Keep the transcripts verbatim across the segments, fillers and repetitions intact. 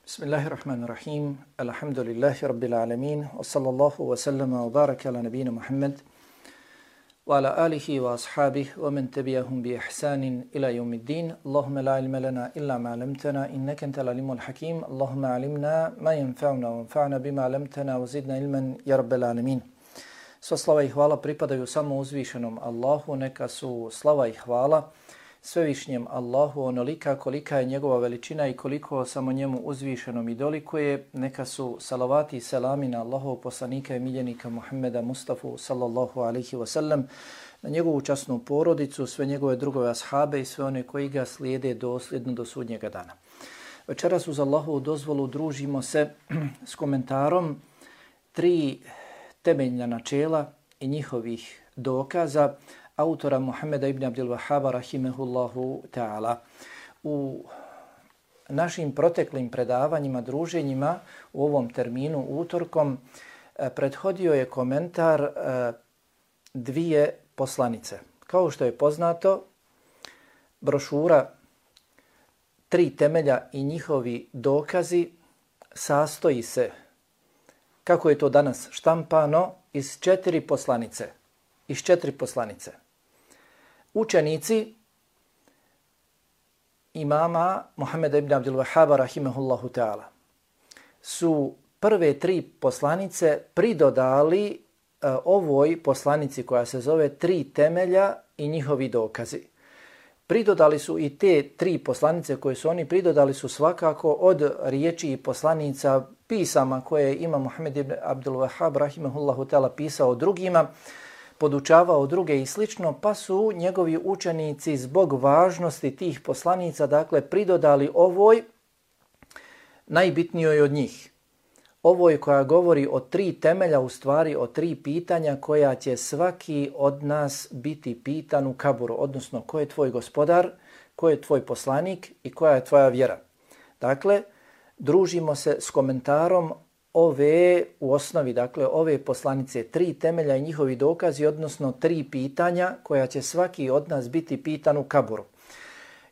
Bismillahirrahmanirrahim. Alhamdulillahi rabbil alamin. Wa sallallahu wa sallama wa baraka ala nabina Muhammad wa ala alihi wa ashabihi wa man tabi'ahum bi ihsanin ila yawmiddin. Allahumma la ilma lana illa ma 'allamtana innaka antal alimul hakim. Allahumma 'allimna ma yanfa'una wanfa'na bima 'allamtana wa zidna ilman ya rabbal alamin. Sva slava i hvala pripadaju samo uzvišenom Allahu, neka su slava i hvala svevišnjem Allahu onolika kolika je njegova veličina i koliko samo njemu uzvišenom i dolikuje. Neka su salavati i selami na Allahov poslanika i miljenika Muhammeda Mustafa sallallahu alaihi wa sallam, na njegovu časnu porodicu, sve njegove drugove ashabe i sve one koji ga slijede dosljedno do sudnjega dana. Večeras uz Allahovu dozvolu družimo se s komentarom tri temeljna načela i njihovih dokaza autora Muhammeda ibn Abdul Wahhaba rahimehullahu ta'ala. U našim proteklim predavanjima, druženjima u ovom terminu utorkom prethodio je komentar dvije poslanice. Kao što je poznato, brošura Tri temelja i njihovi dokazi sastoji se, kako je to danas štampano, iz četiri poslanice. Iz četiri poslanice. Učenici imama Muhammeda ibn Abdul Wahhaba rahimehullahu ta'ala su prve tri poslanice pridodali uh, ovoj poslanici koja se zove Tri temelja i njihovi dokazi. Pridodali su i te tri poslanice koje su oni pridodali su svakako od riječi i poslanica pisama koje je imam Muhammed ibn Abdul Wahhab rahimehullahu ta'ala pisao drugima, podučavao druge i slično, pa su njegovi učenici zbog važnosti tih poslanica, dakle, pridodali ovoj najbitnijoj od njih. Ovoj koja govori o tri temelja, u stvari o tri pitanja koja će svaki od nas biti pitan u kaburu, odnosno ko je tvoj gospodar, ko je tvoj poslanik i koja je tvoja vjera. Dakle, družimo se s komentarom ove, u osnovi, dakle, ove poslanice, tri temelja i njihovi dokazi, odnosno tri pitanja koja će svaki od nas biti pitan u kaburu.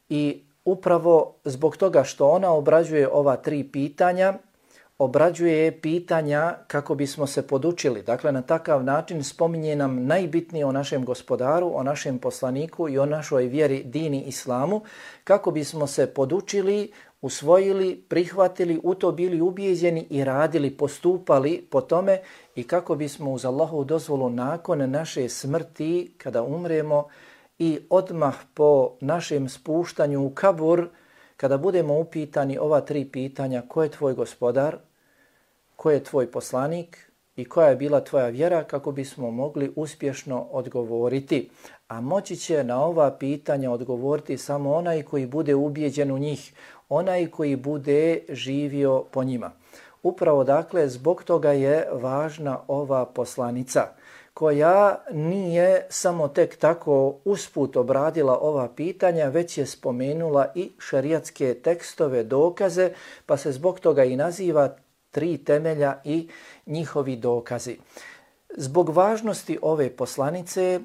I upravo zbog toga što ona obrađuje ova tri pitanja, obrađuje pitanja kako bismo se podučili. Dakle, na takav način spominje nam najbitnije o našem gospodaru, o našem poslaniku i o našoj vjeri, dini, islamu, kako bismo se podučili, usvojili, prihvatili, u to bili ubijeđeni i radili, postupali po tome i kako bismo uz Allahovu dozvolu nakon naše smrti, kada umremo i odmah po našem spuštanju u kabur, kada budemo upitani ova tri pitanja, ko je tvoj gospodar, ko je tvoj poslanik i koja je bila tvoja vjera, kako bismo mogli uspješno odgovoriti. A moći će na ova pitanja odgovoriti samo onaj koji bude ubijeđen u njih, onaj koji bude živio po njima. Upravo, dakle, zbog toga je važna ova poslanica, koja nije samo tek tako usput obradila ova pitanja, već je spomenula i šerijatske tekstove, dokaze, pa se zbog toga i naziva Tri temelja i njihovi dokazi. Zbog važnosti ove poslanice,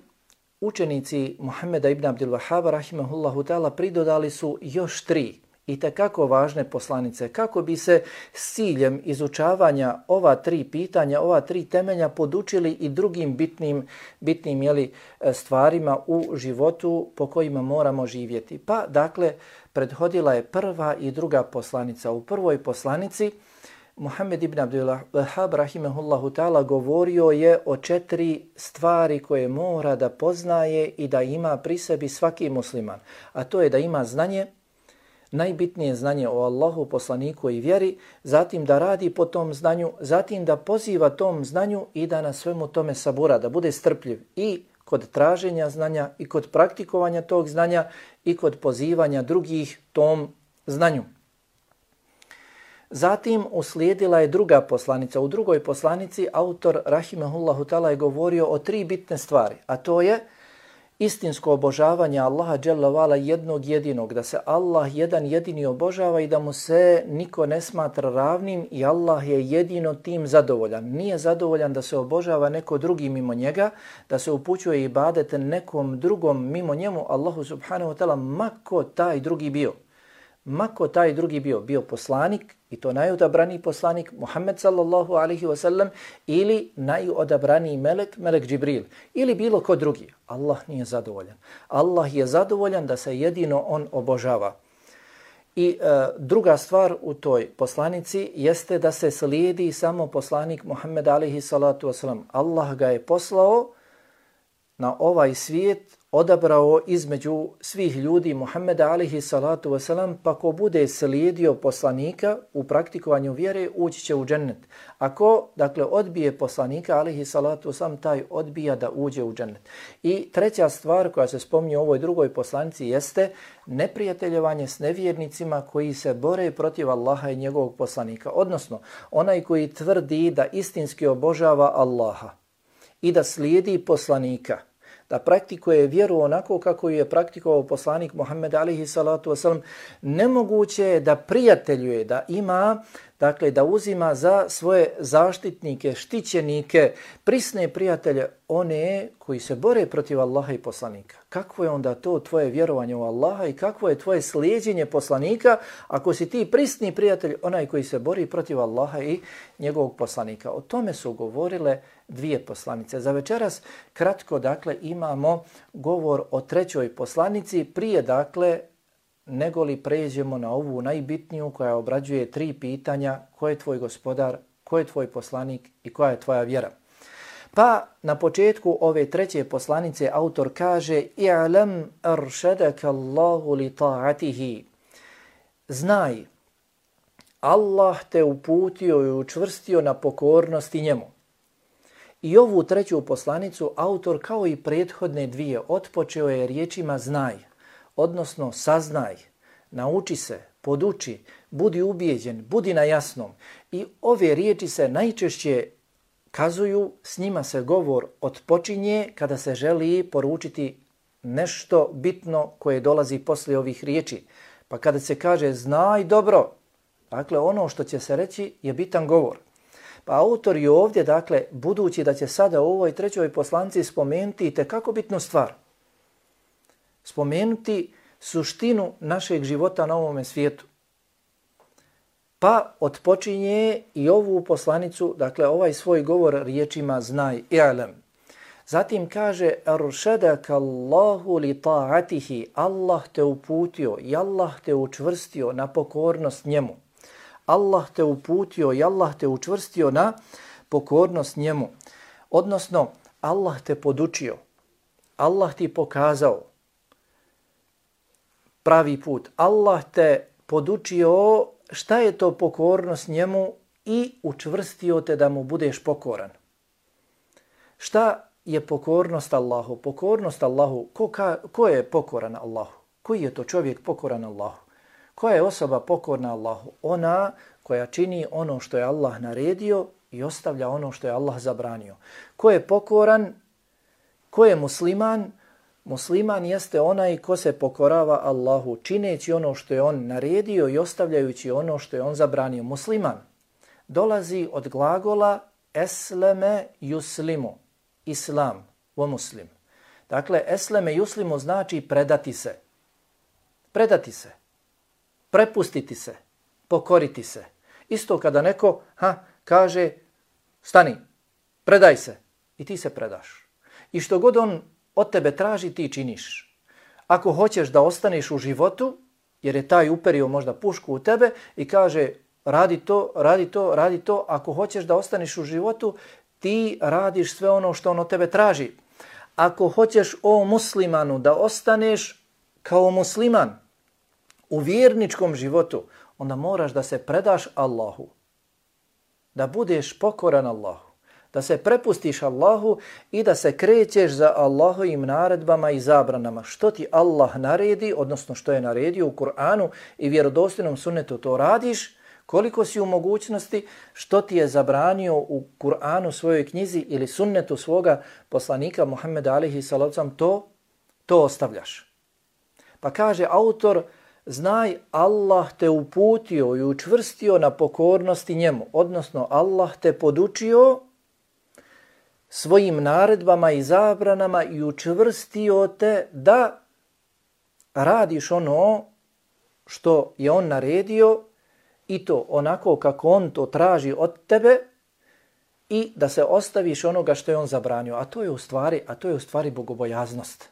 učenici Muhammeda ibn Abdul Wahhaba rahimehullahu ta'ala pridodali su još tri i tekako važne poslanice, kako bi se s ciljem izučavanja ova tri pitanja, ova tri temelja podučili i drugim bitnim, bitnim jeli, stvarima u životu po kojima moramo živjeti. Pa, dakle, prethodila je prva i druga poslanica. U prvoj poslanici Muhammed ibn Abdul Wahhab rahimehullahu ta'ala govorio je o četiri stvari koje mora da poznaje i da ima pri sebi svaki musliman. A to je da ima znanje, najbitnije znanje o Allahu, poslaniku i vjeri, zatim da radi po tom znanju, zatim da poziva tom znanju i da na svemu tome sabura, da bude strpljiv i kod traženja znanja i kod praktikovanja tog znanja i kod pozivanja drugih tom znanju. Zatim uslijedila je druga poslanica. U drugoj poslanici autor rahimehullahu ta'ala je govorio o tri bitne stvari, a to je istinsko obožavanje Allaha dželle vala jednog jedinog, da se Allah jedan jedini obožava i da mu se niko ne smatra ravnim i Allah je jedino tim zadovoljan. Nije zadovoljan da se obožava neko drugi mimo njega, da se upućuje ibadet nekom drugom mimo njemu, Allahu subhanahu wa ta'ala, ma ko taj drugi bio. mako taj drugi bio, bio poslanik i to najodabraniji poslanik Muhammed sallallahu alaihi wasallam ili najodabraniji melek, melek Džibril ili bilo ko drugi. Allah nije zadovoljan. Allah je zadovoljan da se jedino on obožava. I e, druga stvar u toj poslanici jeste da se slijedi samo poslanik Muhammed alaihi salatu wasalam. Allah ga je poslao na ovaj svijet, odabrao između svih ljudi Muhammeda alaihi salatu wasalam, pa ko bude slijedio poslanika u praktikovanju vjere, ući će u džennet. Ako, dakle, odbije poslanika alaihi salatu wasalam, taj odbija da uđe u džennet. I treća stvar koja se spominje u ovoj drugoj poslanici jeste neprijateljevanje s nevjernicima koji se bore protiv Allaha i njegovog poslanika. Odnosno, onaj koji tvrdi da istinski obožava Allaha i da slijedi poslanika, da praktikuje vjeru onako kako je praktikovao poslanik Muhammed alaihi salatu wasalam, nemoguće je da prijateljuje, da ima, dakle da uzima za svoje zaštitnike, štićenike, prisne prijatelje, one koji se bore protiv Allaha i poslanika. Kakvo je onda to tvoje vjerovanje u Allaha i kakvo je tvoje slijedjenje poslanika ako si ti prisni prijatelj, onaj koji se bori protiv Allaha i njegovog poslanika? O tome su govorile dvije poslanice. Za večeras kratko, dakle, imamo govor o trećoj poslanici, prije, dakle, nego li pređemo na ovu najbitniju koja obrađuje tri pitanja: ko je tvoj gospodar, ko je tvoj poslanik i koja je tvoja vjera. Pa na početku ove treće poslanice autor kaže: i'lam arshadaka Allahu li ta'atihi. Znaj, Allah te uputio i učvrstio na pokornosti njemu. I ovu treću poslanicu autor, kao i prethodne dvije, otpočeo je riječima znaj, odnosno saznaj, nauči se, poduči, budi ubijeđen, budi na jasnom. I ove riječi se najčešće kazuju, s njima se govor otpočinje kada se želi poručiti nešto bitno koje dolazi poslije ovih riječi. Pa kada se kaže znaj dobro, dakle ono što će se reći je bitan govor. Pa autor je ovdje, dakle, budući da će sada u ovoj trećoj poslanici spomenuti itekako bitnu stvar, spomenuti suštinu našeg života na ovome svijetu, pa otpočinje i ovu poslanicu, dakle ovaj svoj govor riječima znaj, i'lam. Zatim kaže arshadaka Allahu li ta'atihi, Allah te uputio i Allah te učvrstio na pokornost njemu. Allah te uputio i Allah te učvrstio na pokornost njemu. Odnosno, Allah te podučio, Allah ti pokazao pravi put. Allah te podučio šta je to pokornost njemu i učvrstio te da mu budeš pokoran. Šta je pokornost Allahu? Pokornost Allahu, ko, ka, ko je pokoran Allahu? Koji je to čovjek pokoran Allahu? Koja je osoba pokorna Allahu? Ona koja čini ono što je Allah naredio i ostavlja ono što je Allah zabranio. Ko je pokoran? Ko je musliman? Musliman jeste onaj ko se pokorava Allahu, čineći ono što je on naredio i ostavljajući ono što je on zabranio. Musliman dolazi od glagola esleme yuslimu, islam, o muslim. Dakle, esleme yuslimu znači predati se. Predati se. Prepustiti se. Pokoriti se. Isto kada neko ha, kaže stani, predaj se i ti se predaš. I što god on od tebe traži, ti činiš. Ako hoćeš da ostaneš u životu, jer je taj uperio možda pušku u tebe i kaže radi to, radi to, radi to, ako hoćeš da ostaneš u životu, ti radiš sve ono što on od tebe traži. Ako hoćeš o muslimanu da ostaneš kao musliman u vjerničkom životu, onda moraš da se predaš Allahu, da budeš pokoran Allahu, da se prepustiš Allahu i da se krećeš za Allahovim naredbama i zabranama. Što ti Allah naredi, odnosno što je naredio u Kur'anu i vjerodostojnom sunnetu, to radiš. Koliko si u mogućnosti, što ti je zabranio u Kur'anu, svojoj knjizi ili sunnetu svoga poslanika Muhammeda alejhi salatu vesselam, to, to ostavljaš. Pa kaže autor, znaj, Allah te uputio i učvrstio na pokornosti njemu, odnosno Allah te podučio svojim naredbama i zabranama i učvrstio te da radiš ono što je on naredio i to onako kako on to traži od tebe i da se ostaviš onoga što je on zabranio. A to je u stvari, a to je u stvari bogobojaznost.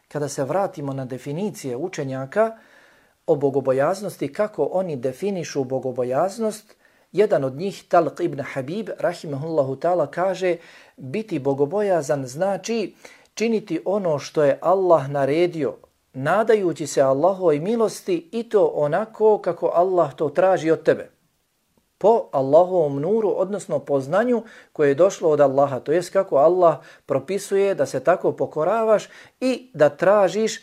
Kada se vratimo na definicije učenjaka o bogobojaznosti, kako oni definišu bogobojaznost, jedan od njih, Talq ibn Habib, rahimahullahu ta'ala, kaže biti bogobojazan znači činiti ono što je Allah naredio, nadajući se Allahovoj milosti i to onako kako Allah to traži od tebe. Po Allahovom nuru, odnosno po znanju koje je došlo od Allaha. To jest kako Allah propisuje da se tako pokoravaš i da tražiš,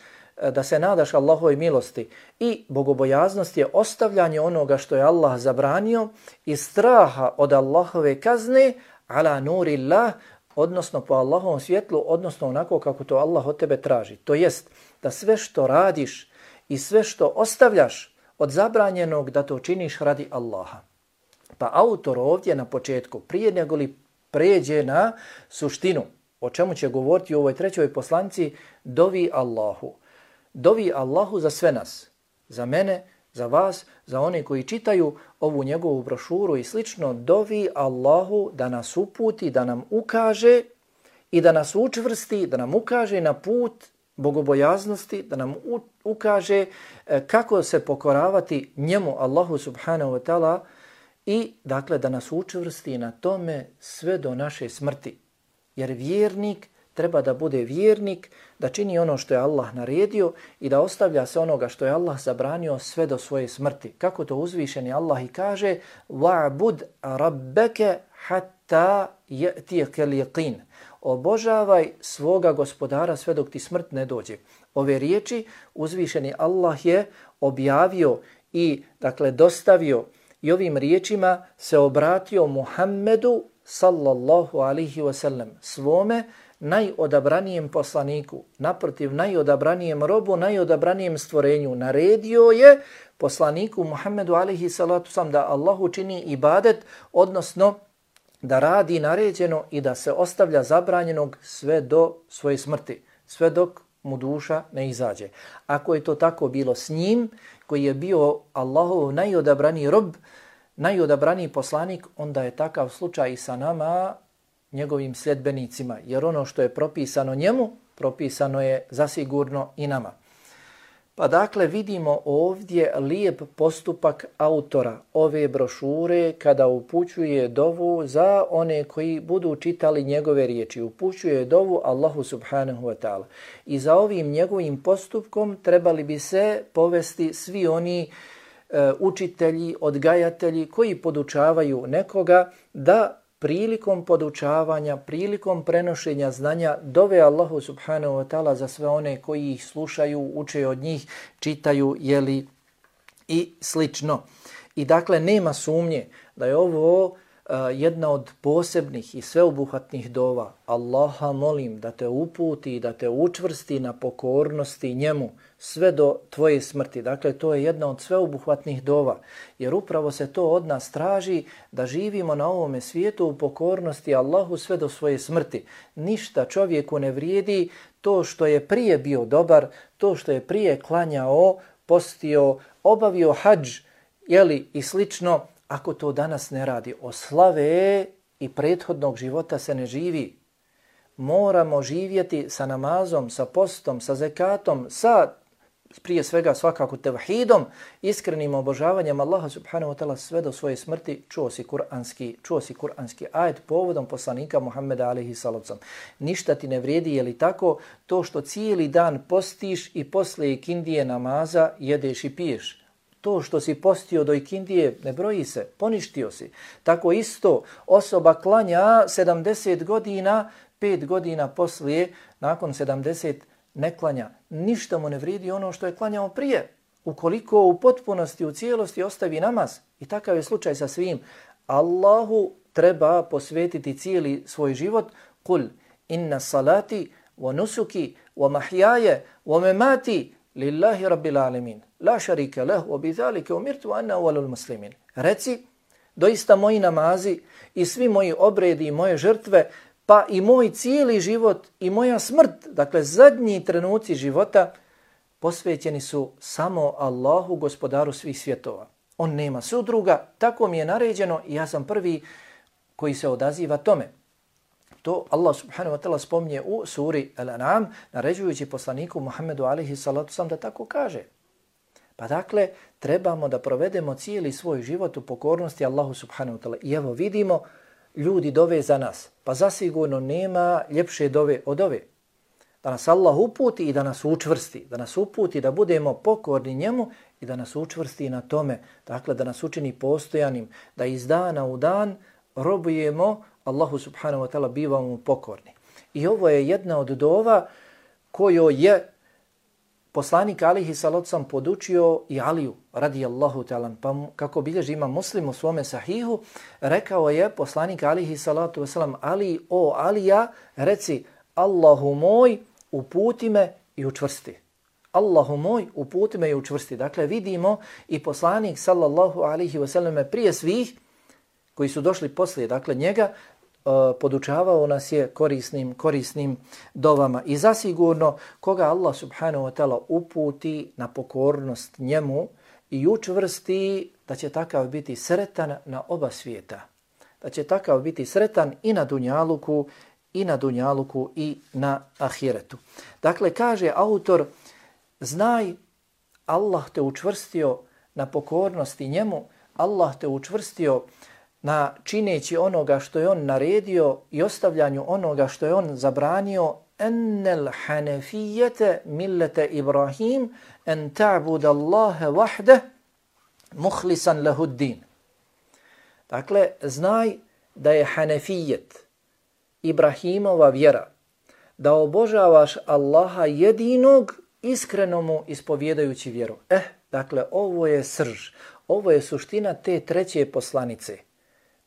da se nadaš Allahovoj milosti. I bogobojaznost je ostavljanje onoga što je Allah zabranio i straha od Allahove kazne ala nurillah, odnosno po Allahovom svjetlu, odnosno onako kako to Allah od tebe traži. To jest da sve što radiš i sve što ostavljaš od zabranjenog da to činiš radi Allaha. Pa autor ovdje na početku, prije nego li pređe na suštinu, o čemu će govoriti u ovoj trećoj poslanici, dovi Allahu. Dovi Allahu za sve nas, za mene, za vas, za one koji čitaju ovu njegovu brošuru i slično, dovi Allahu da nas uputi, da nam ukaže i da nas učvrsti, da nam ukaže na put bogobojaznosti, da nam ukaže kako se pokoravati njemu, Allahu subhanahu wa ta'ala, i dakle da nas učvrsti na tome sve do naše smrti. Jer vjernik treba da bude vjernik, da čini ono što je Allah naredio i da ostavlja se onoga što je Allah zabranio sve do svoje smrti. Kako to uzvišeni Allah i kaže: "Wa'bud rabbaka hatta ya'tiyaka al-yaqin." Obožavaj svoga gospodara sve dok ti smrt ne dođe. Ove riječi uzvišeni Allah je objavio i dakle dostavio i ovim riječima se obratio Muhammedu sallallahu alaihi wasallam, svome najodabranijem poslaniku, naprotiv najodabranijem robu, najodabranijem stvorenju. Naredio je poslaniku Muhammedu alaihi salatu sam da Allahu čini ibadet, odnosno da radi naređeno i da se ostavlja zabranjenog sve do svoje smrti, sve dok mu duša ne izađe. Ako je to tako bilo s njim, koji je bio Allahov najodabraniji rob, najodabraniji poslanik, onda je takav slučaj i sa nama, njegovim sljedbenicima. Jer ono što je propisano njemu, propisano je zasigurno i nama. Pa dakle vidimo ovdje lijep postupak autora ove brošure kada upućuje dovu za one koji budu čitali njegove riječi. Upućuje dovu Allahu subhanahu wa ta'ala. I za ovim njegovim postupkom trebali bi se povesti svi oni e, učitelji, odgajatelji koji podučavaju nekoga da prilikom podučavanja, prilikom prenošenja znanja dove Allahu subhanahu wa ta'ala za sve one koji ih slušaju, uče od njih, čitaju, jeli i slično. I dakle nema sumnje da je ovo uh, jedna od posebnih i sveobuhvatnih dova. Allaha molim da te uputi i da te učvrsti na pokornosti njemu sve do tvoje smrti. Dakle, to je jedna od sveobuhvatnih dova, jer upravo se to od nas traži da živimo na ovome svijetu u pokornosti Allahu sve do svoje smrti. Ništa čovjeku ne vrijedi to što je prije bio dobar, to što je prije klanjao, postio, obavio hadž, jeli, i slično, ako to danas ne radi. Od slave i prethodnog života se ne živi. Moramo živjeti sa namazom, sa postom, sa zekatom, sa prije svega svakako tevhidom, iskrenim obožavanjem Allaha subhanahu wa ta'ala sve do svoje smrti. Čuo si kuranski, čuo si kuranski ajet povodom poslanika Muhammeda alejhi salatu. Ništa ti ne vrijedi, je li tako, to što cijeli dan postiš i posle ikindije namaza jedeš i piješ. To što si postio do ikindije ne broji se, poništio si. Tako isto osoba klanja sedamdeset godina, pet godina poslije, nakon sedamdeset ne klanja. Ništa mu ne vrijedi ono što je klanjao prije. Ukoliko u potpunosti, u cijelosti ostavi namaz. I takav je slučaj sa svim. Allahu treba posvetiti cijeli svoj život. Kul inna salati wa nusuki wa mahjaje wa memati lillahi rabbil alemin. La šarika leh wa bidhalike umirtu anna awwalul muslimin. Reci, doista moji namazi i svi moji obredi i moje žrtve, pa i moj cijeli život i moja smrt, dakle zadnji trenuci života, posvećeni su samo Allahu, gospodaru svih svjetova. On nema sudruga, tako mi je naređeno i ja sam prvi koji se odaziva tome. To Allah subhanahu wa ta'ala spominje u suri Al-An'am, naređujući poslaniku Muhammedu alaihi salatu sam da tako kaže. Pa dakle, trebamo da provedemo cijeli svoj život u pokornosti Allahu subhanahu wa ta'ala. I evo vidimo, ljudi dove za nas. Pa zasigurno nema ljepše dove od ove. Da nas Allah uputi i da nas učvrsti. Da nas uputi da budemo pokorni njemu i da nas učvrsti na tome. Dakle, da nas učini postojanim. Da iz dana u dan robujemo Allahu subhanahu wa ta'ala, bivamo pokorni. I ovo je jedna od dova koju je poslanik alihi salatu sam podučio i Aliju radijallahu ta'ala. Pa kako bilježi ima Muslim u svome sahihu, rekao je poslanik alihi salatu wasalam, Ali, o Alija, reci Allahu moj, uputi me i učvrsti. Allahu moj, uputi me i učvrsti. Dakle, vidimo i poslanik sallallahu alihi wasallam prije svih koji su došli poslije, dakle njega, podučavao nas je korisnim, korisnim dovama. I zasigurno koga Allah subhanahu wa ta'ala uputi na pokornost njemu i učvrsti, da će takav biti sretan na oba svijeta. Da će takav biti sretan i na dunjaluku, i na dunjaluku i na ahiretu. Dakle, kaže autor, znaj, Allah te učvrstio na pokornosti njemu, Allah te učvrstio na čineći onoga što je on naredio i ostavljanju onoga što je on zabranio, ennel hanefijete millete Ibrahim en ta'bud Allahe wahde muhlisan lehuddin. Dakle, znaj da je hanefijet, Ibrahimova vjera, da obožavaš Allaha jedinog, iskreno mu ispovjedajući vjeru. Eh, dakle, ovo je srž, ovo je suština te treće poslanice.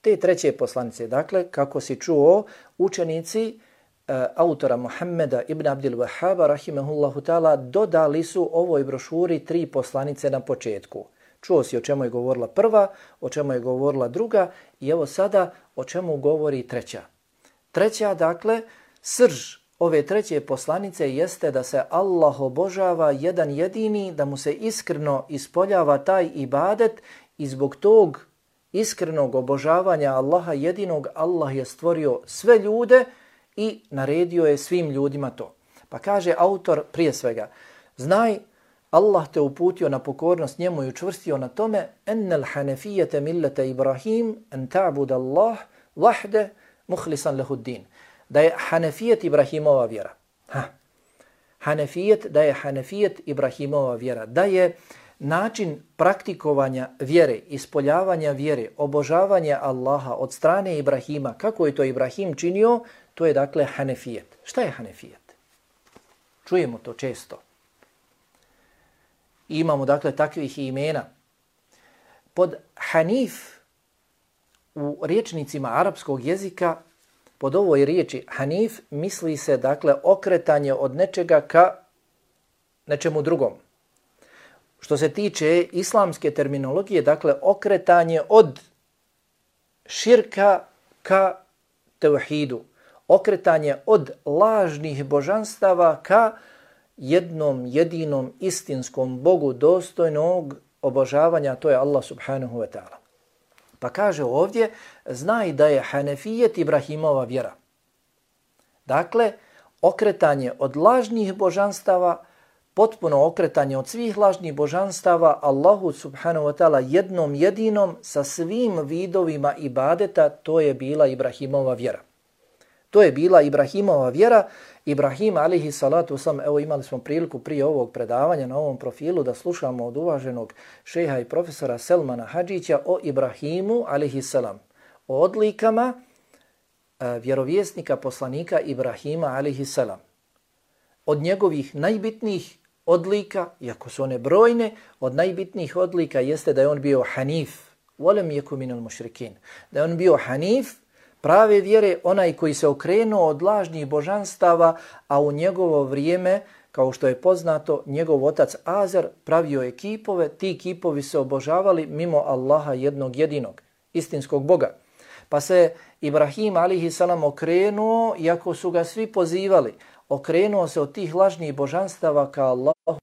Te treće poslanice, dakle, kako si čuo, učenici e, autora Muhammeda ibn Abdil Wahhaba, rahimahullahu ta'ala, dodali su ovoj brošuri tri poslanice na početku. Čuo si o čemu je govorila prva, o čemu je govorila druga i evo sada o čemu govori treća. Treća, dakle, srž ove treće poslanice jeste da se Allah obožava jedan jedini, da mu se iskreno ispoljava taj ibadet i zbog tog iskrenog obožavanja Allaha jedinog, Allah je stvorio sve ljude i naredio je svim ljudima to. Pa kaže autor prije svega, znaj, Allah te uputio na pokornost njemu i učvrstio na tome, ennel hanefijete millete Ibrahim en ta'bud Allah wahde muhlisan lehuddin. Da je hanefijet Ibrahimova vjera. Ha. Hanefijet, da je hanefijet Ibrahimova vjera. Da je način praktikovanja vjere, ispoljavanja vjere, obožavanja Allaha od strane Ibrahima, kako je to Ibrahim činio, to je dakle hanefijet. Šta je hanefijet? Čujemo to često. I imamo dakle takvih imena. Pod hanif u riječnicima arapskog jezika, pod ovoj riječi hanif misli se dakle okretanje od nečega ka nečemu drugom. Što se tiče islamske terminologije, dakle okretanje od širka ka tevhidu, okretanje od lažnih božanstava ka jednom jedinom istinskom Bogu dostojnog obožavanja, to je Allah subhanahu wa ta'ala. Pa kaže ovdje, znaj da je hanefijet Ibrahimova vjera. Dakle, okretanje od lažnih božanstava, potpuno okretanje od svih lažnih božanstava Allahu subhanahu wa ta'ala jednom jedinom sa svim vidovima ibadeta, to je bila Ibrahimova vjera. To je bila Ibrahimova vjera. Ibrahim alihi salatu wasalam, evo imali smo priliku prije ovog predavanja na ovom profilu da slušamo od uvaženog šeha i profesora Selmana Hadžića o Ibrahimu alihi salam, o odlikama e, vjerovjesnika poslanika Ibrahima alihi salam. Od njegovih najbitnijih odlika, iako su one brojne, od najbitnijih odlika jeste da je on bio hanif, volem jeku minul mušrikin, da je on bio hanif, prave vjere, onaj koji se okrenuo od lažnih božanstava, a u njegovo vrijeme, kao što je poznato, njegov otac Azar pravio je kipove, ti kipovi se obožavali mimo Allaha jednog jedinog, istinskog Boga. Pa se Ibrahim alihi salam okrenuo, iako su ga svi pozivali, okrenuo se od tih lažnih božanstava ka Allahu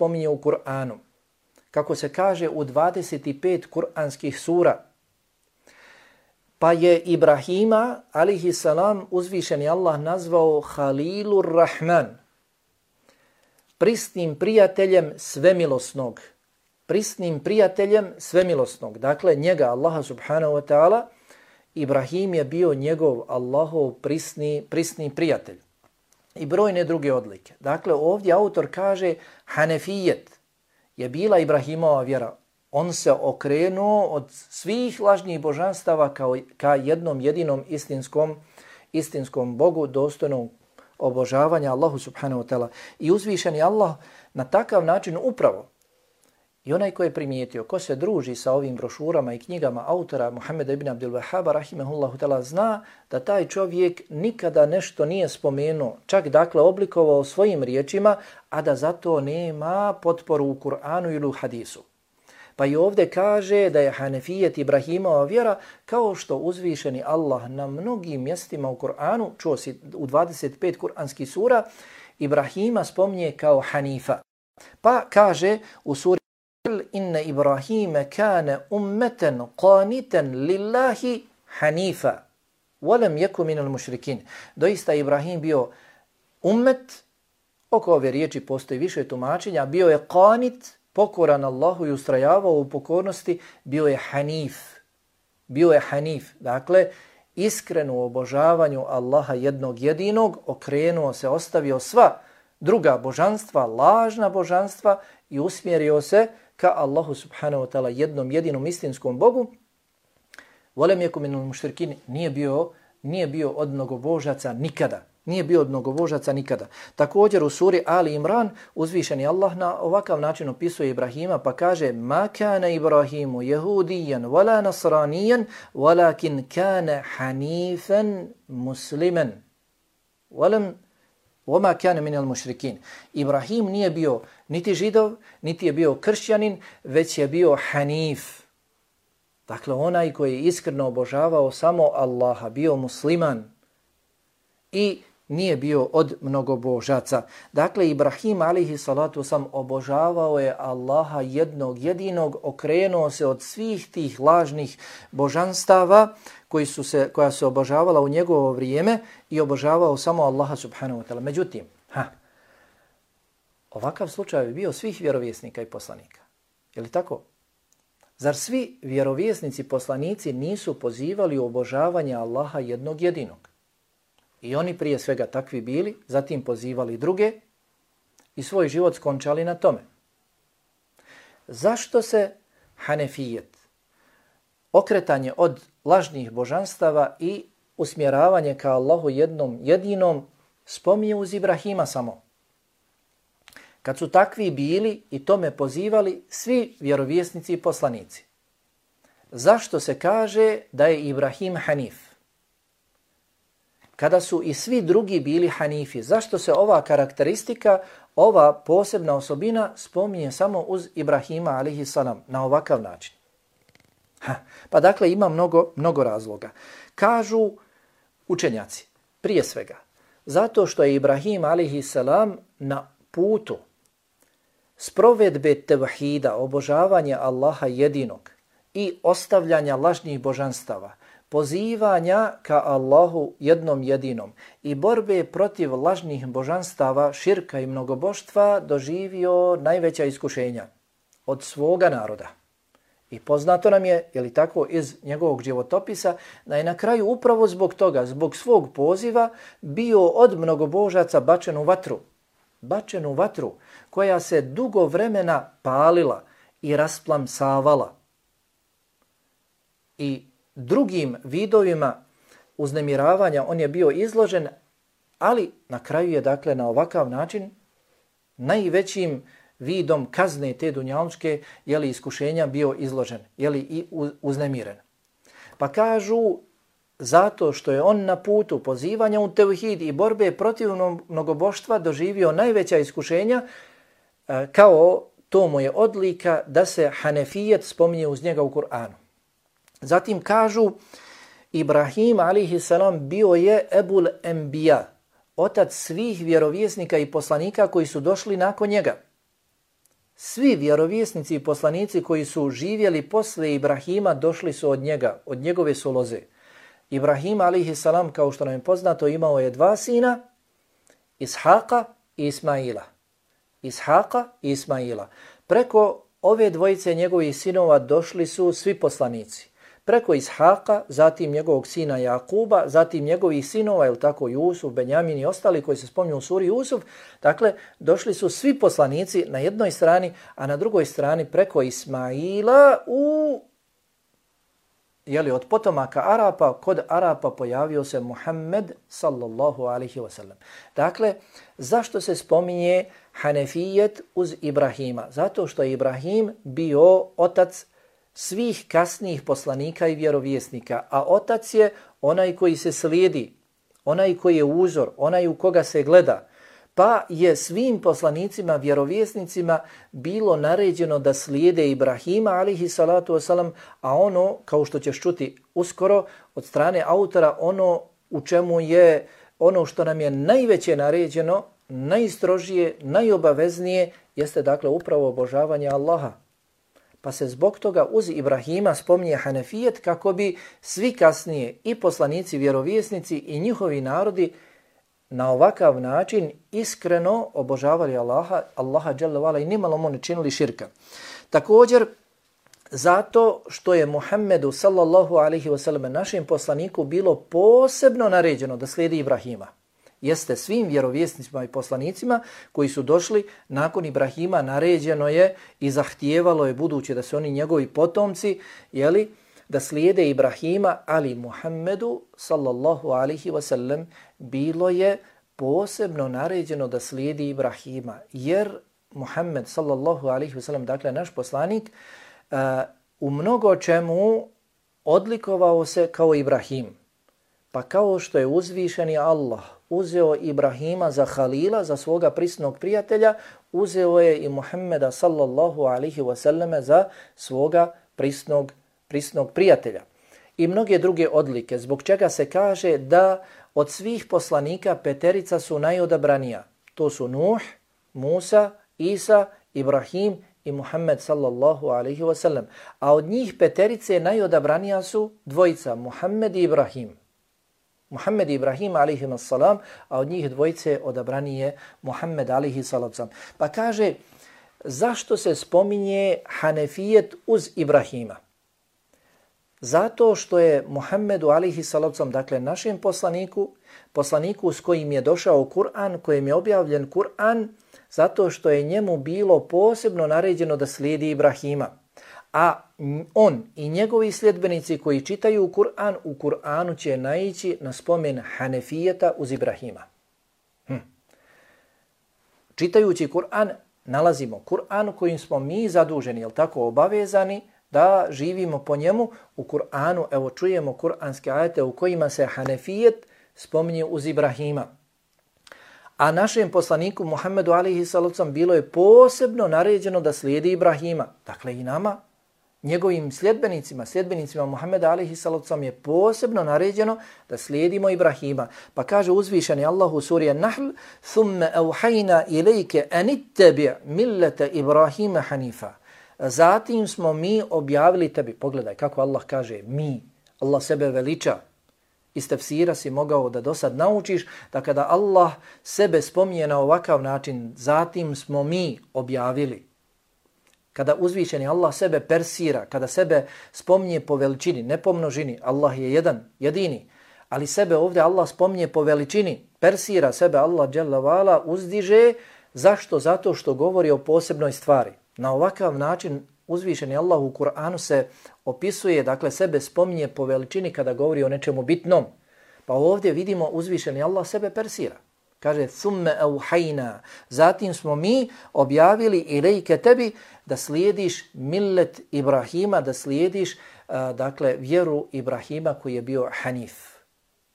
spominje u Kur'anu, kako se kaže u dvadeset pet kur'anskih sura, pa je Ibrahima, alihi salam, uzvišeni Allah nazvao Halilur Rahman, prisnim prijateljem svemilosnog. Prisnim prijateljem svemilosnog. Dakle, njega, Allaha subhanahu wa ta'ala, Ibrahim je bio njegov Allahov prisni, prisni prijatelj. I brojne druge odlike. Dakle, ovdje autor kaže Hanefijet je bila Ibrahimova vjera. On se okrenuo od svih lažnih božanstava kao, ka jednom jedinom istinskom, istinskom Bogu dostojnom obožavanja Allahu subhanahu wa ta'ala. I uzvišeni Allah na takav način upravo i onaj ko je primijetio, ko se druži sa ovim brošurama i knjigama autora Muhammeda ibn Abdul Wahhaba rahimehullahu ta'ala zna da taj čovjek nikada nešto nije spomenuo, čak dakle oblikovao svojim riječima, a da zato nema potporu u Kur'anu ili u hadisu. Pa i ovdje kaže da je Hanefijet Ibrahimova vjera, kao što uzvišeni Allah na mnogim mjestima u Kur'anu, čuo si u dvadeset pet kur'anskih sura, Ibrahima spominje kao Hanifa. Pa kaže u suri Inna Ibrahime kane ummeten qaniten lillahi hanifa walam yaku minal mušrikin. Doista Ibrahim bio ummet, oko ove riječi postoji više tumačenja, bio je qanit, pokoran Allahu i ustrajavao u pokornosti, bio je hanif. Bio je hanif, dakle, iskren u obožavanju Allaha jednog jedinog, okrenuo se, ostavio sva druga božanstva, lažna božanstva i usmjerio se ka Allahu subhanahu wa ta'ala jednom jedinom istinskom Bogu. Volem jeku minul mušrikin, nije bio, nije bio od mnogobožaca nikada. Nije bio od mnogobožaca nikada. Također u suri Ali Imran uzvišeni Allah na ovakav način opisuje Ibrahima pa kaže ma kana Ibrahimu jehudijan wala nasranijan walakin kana hanifan musliman. Volem وَمَا كَانَ مِنَ الْمُشْرِكِينَ. Ibrahim nije bio niti židov, niti je bio kršćanin, već je bio hanif. Dakle, onaj koji je iskreno obožavao samo Allaha, bio musliman i nije bio od mnogobožaca. Dakle, Ibrahim alihi salatu sam obožavao je Allaha jednog jedinog, okrenuo se od svih tih lažnih božanstava koji su se, koja se obožavala u njegovo vrijeme i obožavao samo Allaha subhanahu wa ta'ala. Međutim, ha, ovakav slučaj bi bio svih vjerovjesnika i poslanika. Je li tako? Zar svi vjerovjesnici poslanici nisu pozivali u obožavanje Allaha jednog jedinog? I oni prije svega takvi bili, zatim pozivali druge i svoj život skončali na tome. Zašto se Hanefijet, okretanje od lažnih božanstava i usmjeravanje ka Allahu jednom jedinom spominje uz Ibrahima samo? Kad su takvi bili i tome pozivali svi vjerovjesnici i poslanici. Zašto se kaže da je Ibrahim Hanif? Kada su i svi drugi bili Hanifi, zašto se ova karakteristika, ova posebna osobina spominje samo uz Ibrahima alaihi salam na ovakav način? Ha, pa dakle ima mnogo, mnogo razloga. Kažu učenjaci, prije svega, zato što je Ibrahim alaihi salam na putu sprovedbe tevhida, obožavanja Allaha jedinog i ostavljanja lažnih božanstava, pozivanja ka Allahu jednom jedinom i borbe protiv lažnih božanstava, širka i mnogoboštva doživio najveća iskušenja od svoga naroda. I poznato nam je, je li tako, iz njegovog životopisa, da je na kraju upravo zbog toga, zbog svog poziva, bio od mnogobožaca bačen u vatru. Bačen u vatru koja se dugo vremena palila i rasplamsavala. I drugim vidovima uznemiravanja on je bio izložen, ali na kraju je dakle na ovakav način najvećim vidom kazne te dunjalučke, je li iskušenja bio izložen, je li i uznemiren. Pa kažu, zato što je on na putu pozivanja u tevhid i borbe protiv mnogoboštva doživio najveća iskušenja, kao to mu je odlika da se Hanefijet spominje uz njega u Kur'anu. Zatim kažu, Ibrahim alaihi salam bio je Ebul Enbiya, otac svih vjerovjesnika i poslanika koji su došli nakon njega. Svi vjerovjesnici i poslanici koji su živjeli posle Ibrahima došli su od njega, od njegove su loze. Ibrahim alejhi salam, kao što nam je poznato, imao je dva sina, Ishaqa i Ismaila. Ishaqa i Ismaila. Preko ove dvojice njegovih sinova došli su svi poslanici. Preko Ishaqa, zatim njegovog sina Jakuba, zatim njegovih sinova, ili tako, Jusuf, Benjamin i ostali koji se spominju u suri Jusuf. Dakle, došli su svi poslanici na jednoj strani, a na drugoj strani preko Ismaila u jeli, od potomaka Arapa, kod Arapa pojavio se Muhammed sallallahu alaihi wasallam. Dakle, zašto se spominje Hanefijet uz Ibrahima? Zato što je Ibrahim bio otac svih kasnijih poslanika i vjerovjesnika, a otac je onaj koji se slijedi, onaj koji je uzor, onaj u koga se gleda. Pa je svim poslanicima, vjerovjesnicima bilo naređeno da slijede Ibrahima alejhi salatu wasalam, a ono, kao što ćeš čuti uskoro od strane autora, ono u čemu je, ono što nam je najveće naređeno, najstrožije, najobaveznije, jeste dakle upravo obožavanje Allaha. Pa se zbog toga uz Ibrahima spominje Hanefijet kako bi svi kasnije i poslanici, vjerovjesnici i njihovi narodi na ovakav način iskreno obožavali Allaha, Allaha dželle ve ala i nimalo mu ne činili širka. Također, zato što je Muhammedu sallallahu alaihi wasallam, našem poslaniku, bilo posebno naređeno da slijedi Ibrahima. Jeste svim vjerovjesnicima i poslanicima koji su došli nakon Ibrahima naređeno je i zahtijevalo je, budući da su oni njegovi potomci, jeli, da slijede Ibrahima, ali Muhammedu sallallahu alaihi wasallam bilo je posebno naređeno da slijedi Ibrahima, jer Muhammed sallallahu alaihi wasallam, dakle naš poslanik, uh, u mnogo čemu odlikovao se kao Ibrahim. Pa kao što je uzvišeni Allah uzeo Ibrahima za halila, za svoga prisnog prijatelja, uzeo je i Muhammeda sallallahu alaihi wasallam za svoga prisnog, prisnog prijatelja. I mnoge druge odlike, zbog čega se kaže da od svih poslanika peterica su najodabranija. To su Nuh, Musa, Isa, Ibrahim i Muhammed sallallahu alaihi wasallam. A od njih peterice najodabranija su dvojica, Muhammed i Ibrahim. Muhammed i Ibrahim alaihi salam, a od njih dvojice odabrani je Muhammed alaihi salam. Pa kaže, zašto se spominje Hanefijet uz Ibrahima? Zato što je Muhammedu alaihi salam, dakle našem poslaniku, poslaniku s kojim je došao Kur'an, kojim je objavljen Kur'an, zato što je njemu bilo posebno naređeno da slijedi Ibrahima. A on i njegovi sljedbenici koji čitaju Kur'an, u Kur'anu će naići na spomen Hanefijeta uz Ibrahima. Hm. Čitajući Kur'an, nalazimo Kur'an kojim smo mi zaduženi, jel tako, obavezani da živimo po njemu. U Kur'anu, evo čujemo kur'anske ajete u kojima se Hanefijet spominje uz Ibrahima. A našem poslaniku Muhammedu alejhi sallam bilo je posebno naređeno da slijedi Ibrahima. Dakle i nama, njegovim sljedbenicima, sljedbenicima Muhammeda alejhi sallam je posebno naređeno da slijedimo Ibrahima. Pa kaže uzvišeni Allah u suri An-Nahl: "Thumma awhayna ilayka an ittabi' millata Ibrahima hanifa." Zatim smo mi objavili tebi. Pogledaj kako Allah kaže mi. Allah sebe veliča. Iz tefsira si mogao da do sad naučiš da kada Allah sebe spominje na ovakav način, zatim smo mi objavili. Kada uzvišeni Allah sebe persira, kada sebe spominje po veličini, ne po množini, Allah je jedan, jedini, ali sebe ovdje Allah spominje po veličini, persira sebe Allah dželle ve ala, uzdiže. Zašto? Zato što govori o posebnoj stvari. Na ovakav način uzvišeni Allah u Kur'anu se opisuje, dakle sebe spominje po veličini kada govori o nečemu bitnom. Pa ovdje vidimo uzvišeni Allah sebe persira. Kaže, thumme auhajna, zatim smo mi objavili ilejke tebi da slijediš millet Ibrahima, da slijediš uh, dakle vjeru Ibrahima koji je bio hanif.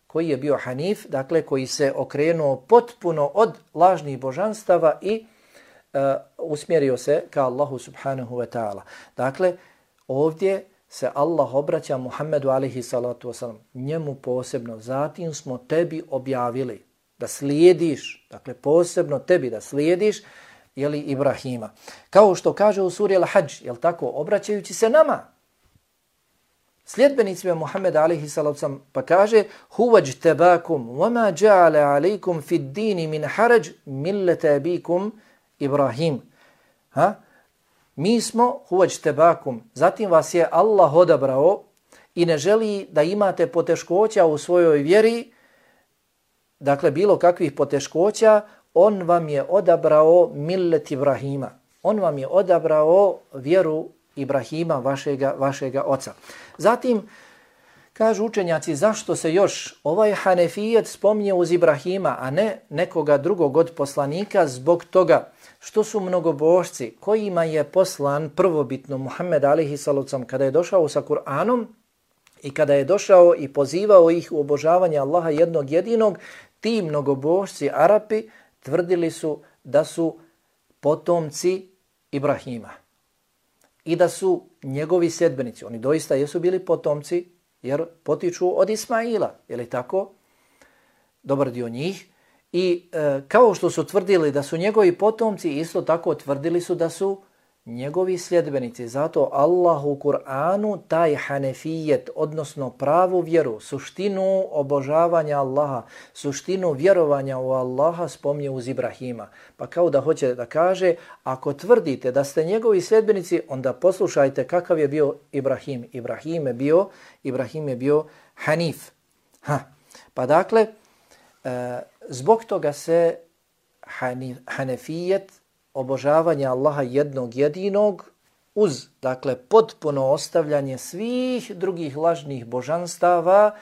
Koji je bio hanif, dakle koji se okrenuo potpuno od lažnih božanstava i uh, usmjerio se ka Allahu subhanahu wa ta'ala. Dakle, ovdje se Allah obraća Muhammedu alejhi salatu wasalam, njemu posebno, zatim smo tebi objavili da slijediš, dakle posebno tebi da slijediš jeli, Ibrahima. Kao što kaže u suri Al-Hadž, jel tako, obraćajući se nama, sljedbenicima Muhammeda alejhi salatu vesselam, pa kaže huvaj tebakum wama ja'ala alaykum fi ad-din min haraj millata abikum Ibrahim. Ha? Mi smo huvaj tebakum, zatim vas je Allah odabrao i ne želi da imate poteškoća u svojoj vjeri, dakle bilo kakvih poteškoća, on vam je odabrao millet Ibrahima. On vam je odabrao vjeru Ibrahima, vašega, vašega oca. Zatim, kažu učenjaci, zašto se još ovaj Hanefijet spominje uz Ibrahima, a ne nekoga drugog od poslanika, zbog toga što su mnogobožci kojima je poslan prvobitno Muhammed alejhi salatu vesselam kada je došao sa Kur'anom i kada je došao i pozivao ih u obožavanje Allaha jednog jedinog, ti mnogobožci Arapi tvrdili su da su potomci Ibrahima i da su njegovi sljedbenici. Oni doista jesu bili potomci jer potiču od Ismaila, je li tako? Dobar dio njih. I e, kao što su tvrdili da su njegovi potomci, isto tako tvrdili su da su njegovi sljedbenici. Zato Allah u Kur'anu taj hanefijet, odnosno pravu vjeru, suštinu obožavanja Allaha, suštinu vjerovanja u Allaha spominje uz Ibrahima. Pa kao da hoće da kaže, ako tvrdite da ste njegovi sljedbenici, onda poslušajte kakav je bio Ibrahim. Ibrahim je bio, Ibrahim je bio Hanif. Ha. Pa dakle, e, zbog toga se hanif, hanefijet, obožavanje Allaha jednog jedinog uz, dakle, potpuno ostavljanje svih drugih lažnih božanstava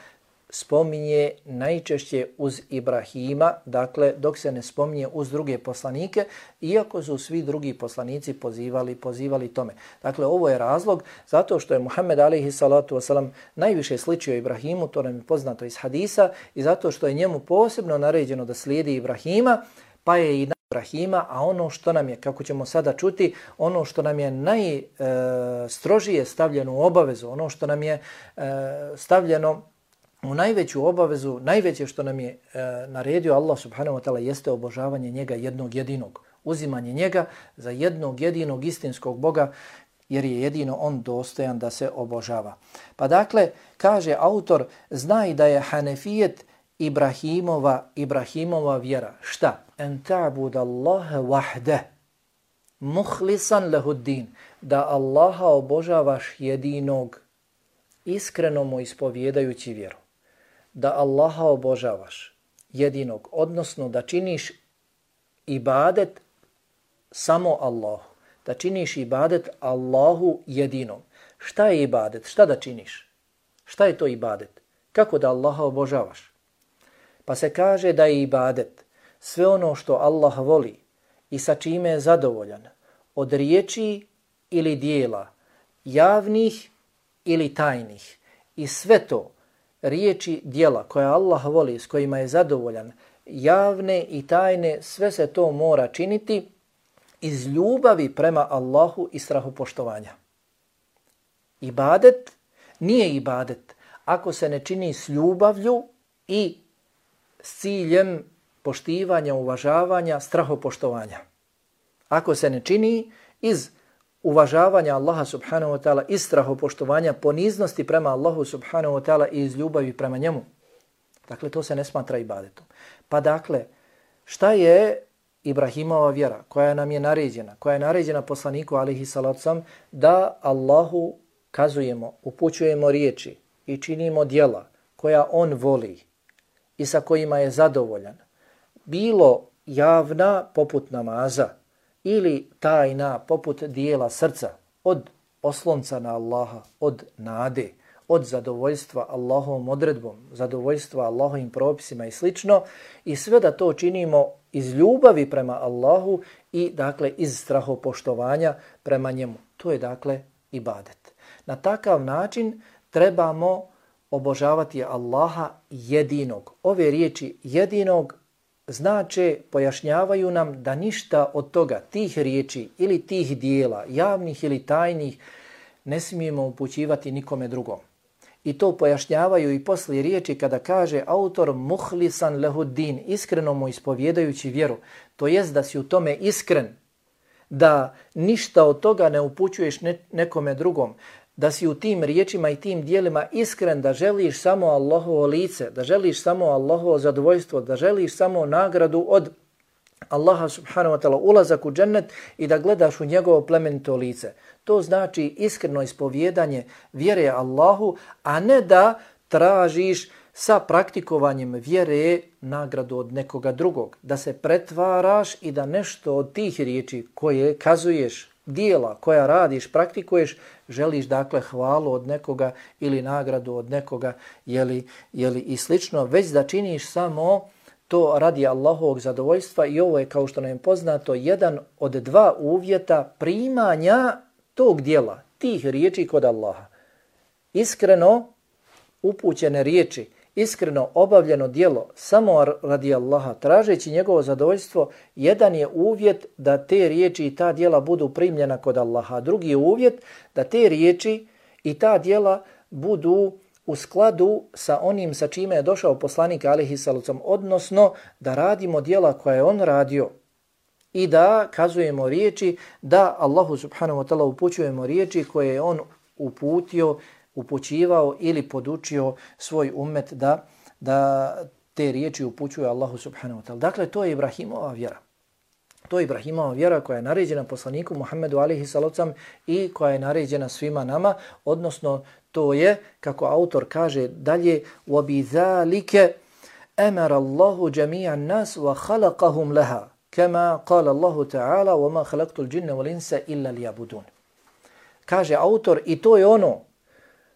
spominje najčešće uz Ibrahima, dakle, dok se ne spominje uz druge poslanike, iako su svi drugi poslanici pozivali, pozivali tome. Dakle, ovo je razlog zato što je Muhammed alejhi salatu vesselam najviše sličio Ibrahimu, to nam je poznato iz hadisa, i zato što je njemu posebno naređeno da slijedi Ibrahima, pa je i Ibrahima, a ono što nam je, kako ćemo sada čuti, ono što nam je najstrožije stavljeno u obavezu, ono što nam je e, stavljeno u najveću obavezu, najveće što nam je e, naredio Allah subhanahu wa ta'ala jeste obožavanje njega jednog jedinog, uzimanje njega za jednog jedinog istinskog Boga, jer je jedino on dostojan da se obožava. Pa dakle, kaže autor, znaj da je Hanefijet Ibrahimova, Ibrahimova vjera. Šta? En ta'bud Allaha wahde, muhlisan lehuddin, da Allaha obožavaš jedinog, iskreno mu ispovjedajući vjeru. Da Allaha obožavaš jedinog, odnosno da činiš ibadet samo Allahu. Da činiš ibadet Allahu jedinom. Šta je ibadet? Šta da činiš? Šta je to ibadet? Kako da Allaha obožavaš? Pa se kaže da je ibadet sve ono što Allah voli i sa čime je zadovoljan, od riječi ili dijela, javnih ili tajnih. I sve to, riječi, dijela koje Allah voli, s kojima je zadovoljan, javne i tajne, sve se to mora činiti iz ljubavi prema Allahu i strahopoštovanja. Ibadet nije ibadet ako se ne čini s ljubavlju i s ciljem poštivanja, uvažavanja, strahopoštovanja. Ako se ne čini iz uvažavanja Allaha subhanahu wa ta'ala, iz strahopoštovanja, poniznosti prema Allahu subhanahu wa ta'ala i iz ljubavi prema njemu, dakle to se ne smatra ibadetom. Pa dakle, šta je Ibrahimova vjera koja nam je naređena, koja je naređena poslaniku alejhi salatu vesselam, da Allahu kazujemo, upućujemo riječi i činimo djela koja on voli i sa kojima je zadovoljan, bilo javna poput namaza ili tajna poput dijela srca, od oslonca na Allaha, od nade, od zadovoljstva Allahovom odredbom, zadovoljstva Allahovim propisima i slično, i sve da to činimo iz ljubavi prema Allahu i dakle iz strahopoštovanja prema njemu. To je dakle ibadet. Na takav način trebamo obožavati Allaha jedinog. Ove riječi jedinog znače, pojašnjavaju nam da ništa od toga, tih riječi ili tih dijela, javnih ili tajnih, ne smijemo upućivati nikome drugom. I to pojašnjavaju i poslije riječi kada kaže autor muhlisan lehuddin, iskreno mu ispovjedajući vjeru. To jest da si u tome iskren, da ništa od toga ne upućuješ ne, nekome drugom, da si u tim riječima i tim dijelima iskren, da želiš samo Allahovo lice, da želiš samo Allahovo zadovoljstvo, da želiš samo nagradu od Allaha subhanahu wa ta'ala, ulazak u džennet i da gledaš u njegovo plemenito lice. To znači iskreno ispovjedanje vjere Allahu, a ne da tražiš sa praktikovanjem vjere nagradu od nekoga drugog. Da se pretvaraš i da nešto od tih riječi koje kazuješ, dijela koja radiš, praktikuješ, želiš dakle hvalu od nekoga ili nagradu od nekoga, jeli, jeli i slično, već da činiš samo to radi Allahovog zadovoljstva i ovo je, kao što nam je poznato, jedan od dva uvjeta primanja tog dijela, tih riječi kod Allaha. Iskreno upućene riječi, iskreno obavljeno djelo samo radi Allaha, tražeći njegovo zadovoljstvo, jedan je uvjet da te riječi i ta djela budu primljena kod Allaha. Drugi je uvjet da te riječi i ta djela budu u skladu sa onim sa čime je došao poslanik alejhi salatu vesselam, odnosno da radimo djela koje je on radio i da kazujemo riječi, da Allahu subhanahu wa ta'ala upućujemo riječi koje je on uputio, upućivao ili podučio svoj ummet da, da te riječi upućuje Allahu subhanahu wa ta'ala. Dakle, to je Ibrahimova vjera. To je Ibrahimova vjera koja je naređena poslaniku Muhammedu alejhi salatu vesselam i koja je naređena svima nama, odnosno to je, kako autor kaže dalje, وَبِذَلِكَ أَمَرَ اللَّهُ جَمِيعَ النَّاسِ وَخَلَقَهُمْ لَهَا كَمَا قَالَ اللَّهُ تَعَالَى وَمَا خَلَقْتُ الْجِنَّ وَالْإِنسَ إِلَّا لِيَعْبُدُونَ. Kaže autor, i to je ono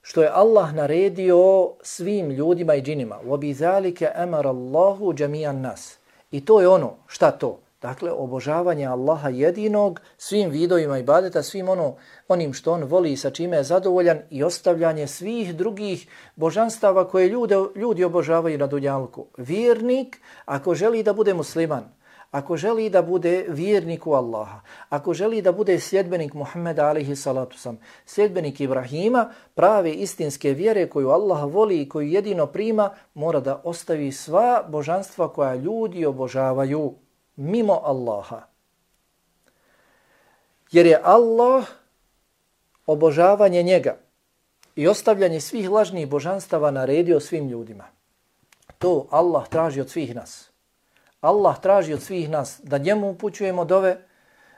što je Allah naredio svim ljudima i džinima. وَبِذَلِكَ أَمَرَ اللَّهُ جَمِيعَ النَّاسِ. I to je ono, šta to? Dakle, obožavanje Allaha jedinog svim vidovima ibadeta, svim ono, onim što on voli i sa čime je zadovoljan i ostavljanje svih drugih božanstava koje ljude, ljudi obožavaju na dunjalku. Vjernik, ako želi da bude musliman, ako želi da bude vjernik u Allaha, ako želi da bude sljedbenik Muhammeda alejhi salatu vesselam, sljedbenik Ibrahima, prave istinske vjere koju Allah voli i koju jedino prima, mora da ostavi sva božanstva koja ljudi obožavaju mimo Allaha. Jer je Allah obožavanje njega i ostavljanje svih lažnih božanstava naredio svim ljudima. To Allah traži od svih nas. Allah traži od svih nas da njemu upućujemo dove,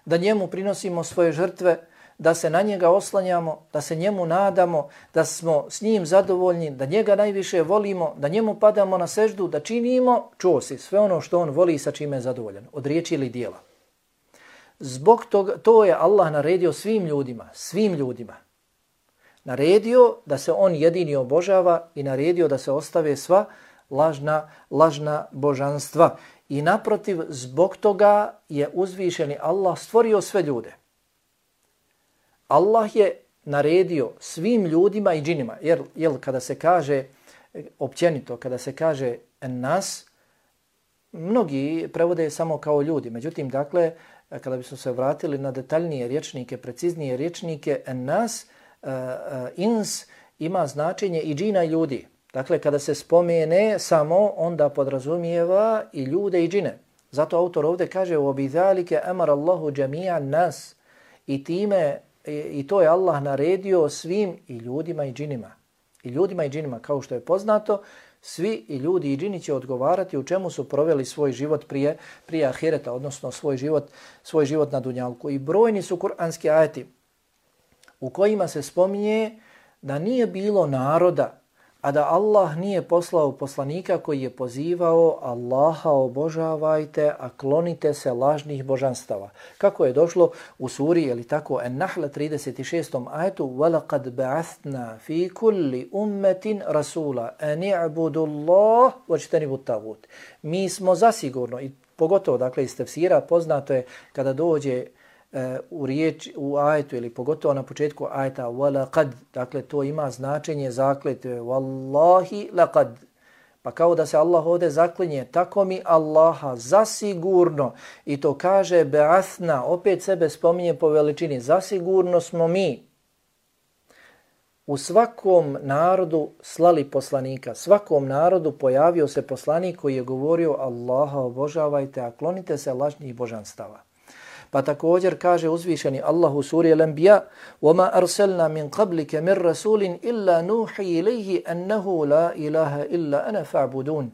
da njemu prinosimo svoje žrtve, da se na njega oslanjamo, da se njemu nadamo, da smo s njim zadovoljni, da njega najviše volimo, da njemu padamo na seždu, da činimo, čuo si, sve ono što on voli i sa čime je zadovoljan, od riječi ili dijela. Zbog toga, to je Allah naredio svim ljudima, svim ljudima. Naredio da se on jedini obožava i naredio da se ostave sva lažna, lažna božanstva. I naprotiv, zbog toga je uzvišeni Allah stvorio sve ljude. Allah je naredio svim ljudima i džinima, jer, jer kada se kaže, općenito, kada se kaže nas, mnogi prevode samo kao ljudi. Međutim, dakle, kada bismo se vratili na detaljnije rječnike, preciznije rječnike, nas, uh, uh, ins, ima značenje i džina i ljudi. Dakle, kada se spomene samo, onda podrazumijeva i ljude i džine. Zato autor ovdje kaže وَبِذَلِكَ أَمَرَ اللَّهُ جَمِيعَ النَّاسِ i time i to je Allah naredio svim i ljudima i džinima. I ljudima i džinima, kao što je poznato, svi i ljudi i džini će odgovarati u čemu su proveli svoj život prije, prije ahireta, odnosno svoj život, svoj život na dunjalku. I brojni su kuranski ajeti u kojima se spominje da nije bilo naroda, a da Allah nije poslao poslanika koji je pozivao Allaha obožavajte, a klonite se lažnih božanstava. Kako je došlo u suri, je li tako, En-Nahl trideset šestom ajetu وَلَقَدْ بَعَثْنَا فِي كُلِّ أُمَّةٍ رَسُولًا أَنِ اعْبُدُوا اللَّهَ وَاجْتَنِبُوا الطَّاغُوتَ. Mi smo zasigurno, i pogotovo dakle iz tefsira, poznato je kada dođe u riječ, u ajetu ili pogotovo na početku ajeta وَلَقَدْ, dakle to ima značenje zakletve وَاللَّهِ لَقَدْ, pa kao da se Allah ovdje zaklinje, tako mi Allaha zasigurno, i to kaže be'athna, opet sebe spominje po veličini, zasigurno smo mi u svakom narodu slali poslanika, svakom narodu pojavio se poslanik koji je govorio Allaha obožavajte, a klonite se lažnih božanstava. Pa također kaže uzvišeni Allah u suri Al-Anbiya: وَمَا أَرْسَلْنَا مِنْ قَبْلِكَ مِنْ رَسُولٍ إِلَّا نُوحِي إِلَيْهِ أَنَّهُ لَا إِلَهَ إِلَّا أَنَا فَاعْبُدُونَ.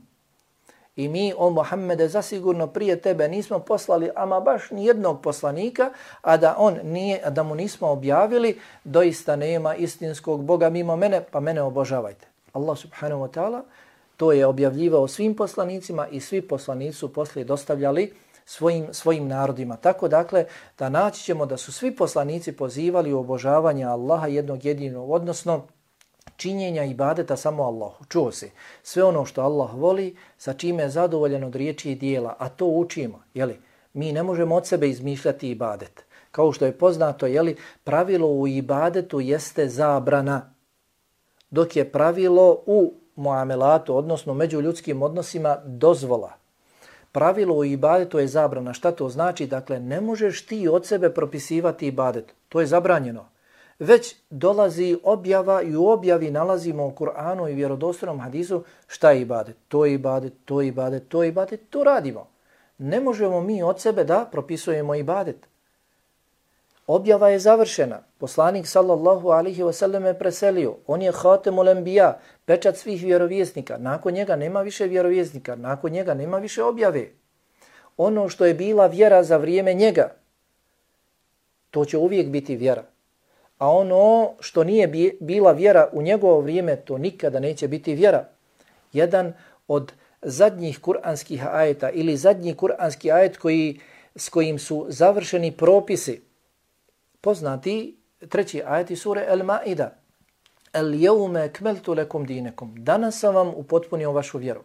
I mi, o Muhammede, zasigurno prije tebe nismo poslali ama baš ni jednog poslanika, a da on nije, a da mu nismo objavili, doista nema istinskog Boga mimo mene, pa mene obožavajte. Allah subhanahu wa ta'ala to je objavljivao svim poslanicima i svi poslanici su poslije dostavljali svojim, svojim narodima. Tako dakle, da naći ćemo da su svi poslanici pozivali u obožavanje Allaha jednog jedinog, odnosno činjenja ibadeta samo Allahu. Čuo se, sve ono što Allah voli, sa čime je zadovoljen od riječi i dijela, a to učimo. Jeli? Mi ne možemo od sebe izmišljati ibadet. Kao što je poznato, jeli, pravilo u ibadetu jeste zabrana, dok je pravilo u muamelatu, odnosno među ljudskim odnosima, dozvola. Pravilo u ibadetu je zabrana. Šta to znači? Dakle, ne možeš ti od sebe propisivati ibadet. To je zabranjeno. Već dolazi objava i u objavi nalazimo u Kur'anu i vjerodostojnom hadisu šta je ibadet. To je ibadet, to je ibadet, to je ibadet, to radimo. Ne možemo mi od sebe da propisujemo ibadet. Objava je završena. Poslanik sallallahu alaihi wa sallam je preselio. On je hatemul enbiya, pečat svih vjerovjesnika. Nakon njega nema više vjerovjesnika. Nakon njega nema više objave. Ono što je bila vjera za vrijeme njega, to će uvijek biti vjera. A ono što nije bila vjera u njegovo vrijeme, to nikada neće biti vjera. Jedan od zadnjih kuranskih ajeta ili zadnji kuranski ajet koji, s kojim su završeni propisi, poznati treći ajet sure Al-Ma'ida. El-jevme ekmeltu lekum dinekum. Danas sam vam upotpunio vašu vjeru.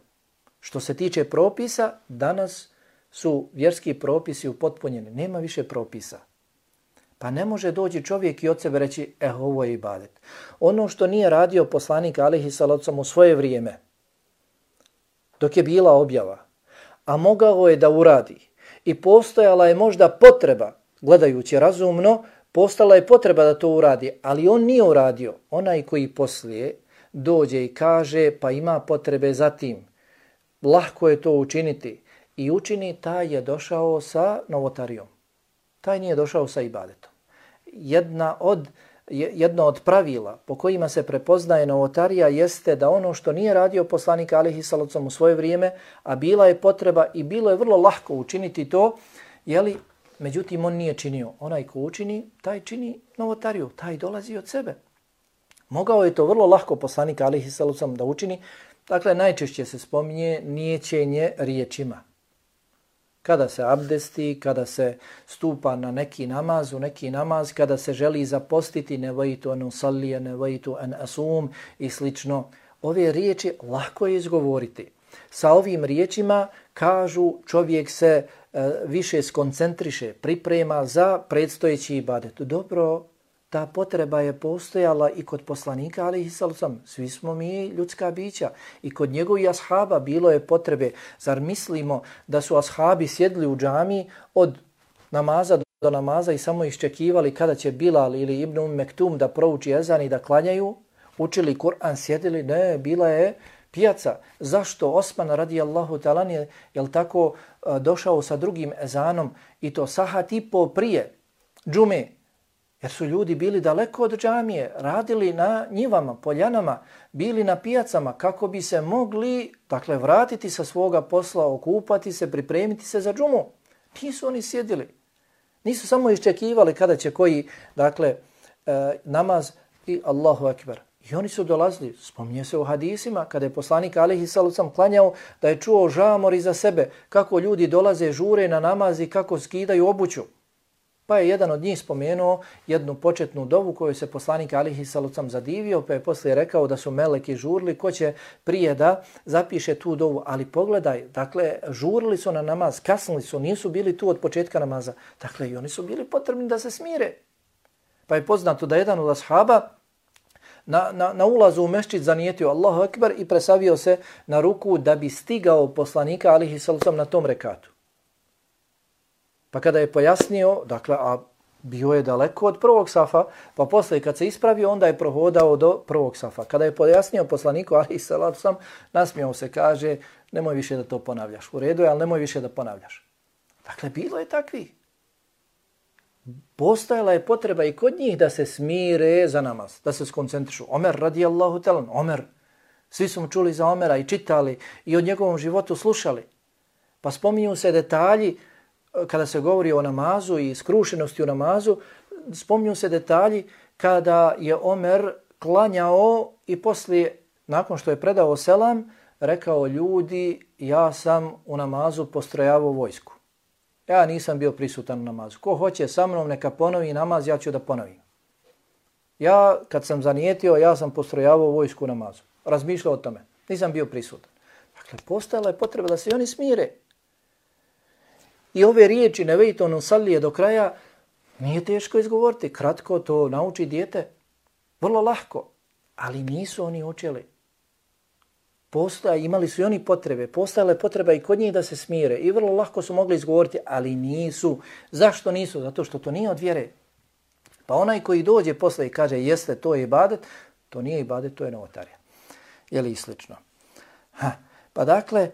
Što se tiče propisa, danas su vjerski propisi upotpunjeni. Nema više propisa. Pa ne može doći čovjek i od sebe reći, eh, ovo je ibadet. Ono što nije radio poslanik alejhi salatu vesselam u svoje vrijeme, dok je bila objava, a mogao je da uradi i postojala je možda potreba, gledajući razumno, postala je potreba da to uradi, ali on nije uradio. Onaj koji poslije dođe i kaže, pa ima potrebe za tim, lahko je to učiniti i učini, taj je došao sa novotarijom. Taj nije došao sa ibadetom. Jedna od, jedno od pravila po kojima se prepoznaje novotarija jeste da ono što nije radio poslanik alejhi salatu vesselam u svoje vrijeme, a bila je potreba i bilo je vrlo lahko učiniti to, jeli, međutim on nije činio. Onaj ko učini, taj čini novotariju, taj dolazi od sebe. Mogao je to vrlo lahko poslanik alejhi salatu vesselam da učini. Dakle, najčešće se spominje niječenje riječima. Kada se abdesti, kada se stupa na neki namaz, u neki namaz, kada se želi zapostiti, nevaitu an usallije, nevaitu an asum i slično. Ove riječi lako je izgovoriti. Sa ovim riječima, kažu, čovjek se e, više skoncentriše, priprema za predstojeći ibadet. Dobro, ta potreba je postojala i kod poslanika, alejhi salatu vesselam. Svi smo mi ljudska bića. I kod njegovih ashaba bilo je potrebe. Zar mislimo da su ashabi sjedli u džamiji od namaza do namaza i samo iščekivali kada će Bilal ili Ibn Umm Mektum da prouči ezan i da klanjaju? Učili Kur'an, sjedili? Ne, bila je pijaca. Zašto Osman radijallahu ta'ala je, jel tako, došao sa drugim ezanom i to sahat i po prije džume? Jer su ljudi bili daleko od džamije, radili na njivama, poljanama, bili na pijacama kako bi se mogli, dakle, vratiti sa svoga posla, okupati se, pripremiti se za džumu. Nisu oni sjedili. Nisu samo iščekivali kada će koji, dakle, e, namaz i Allahu ekber. I oni su dolazili, spominje se u hadisima, kada je poslanik alejhi salatu vesselam klanjao, da je čuo žamor iza sebe, kako ljudi dolaze, žure na namaz i kako skidaju obuću. Pa je jedan od njih spomenuo jednu početnu dovu koju se poslanik alejhi salatu vesselam zadivio, pa je poslije rekao da su meleki žurili, ko će prije da zapiše tu dovu. Ali pogledaj, dakle, žurili su na namaz, kasnili su, nisu bili tu od početka namaza. Dakle, i oni su bili potrebni da se smire. Pa je poznato da jedan od ashaba na, na, na ulazu u mešćid zanijetio Allahu ekber i presavio se na ruku da bi stigao poslanika alejhi salatu vesselam na tom rekatu. Pa kada je pojasnio, dakle, a bio je daleko od prvog safa, pa posle kad se ispravio, onda je prohodao do prvog safa. Kada je pojasnio poslaniku alejhi salatu vesselam, nasmijao se, kaže, nemoj više da to ponavljaš. U redu je, ali nemoj više da ponavljaš. Dakle, bilo je takvi. Postojala je potreba i kod njih da se smire za namaz, da se skoncentrišu. Omer radijallahu talan, Omer. Svi su mu čuli za Omera i čitali i o njegovom životu slušali. Pa spominju se detalji kada se govori o namazu i skrušenosti u namazu, spominju se detalji kada je Omer klanjao i poslije, nakon što je predao selam, rekao ljudi, ja sam u namazu postrojavao vojsku. Ja nisam bio prisutan u namazu. Ko hoće sa mnom neka ponovi namaz, ja ću da ponovim. Ja kad sam zanijetio, ja sam postrojavao vojsku u namazu. Razmišljao o tome. Nisam bio prisutan. Dakle, postojala je potreba da se oni smire. I ove riječi nevejto nusalije do kraja nije teško izgovoriti. Kratko to nauči dijete. Vrlo lahko. Ali nisu oni učili. Postoja, imali su i oni potrebe. Postojala je potreba i kod njih da se smire. I vrlo lahko su mogli izgovoriti, ali nisu. Zašto nisu? Zato što to nije od vjere. Pa onaj koji dođe posle i kaže jeste, to je ibadet, to nije ibadet, to je novotarija. Jeli i slično. Ha. Pa dakle,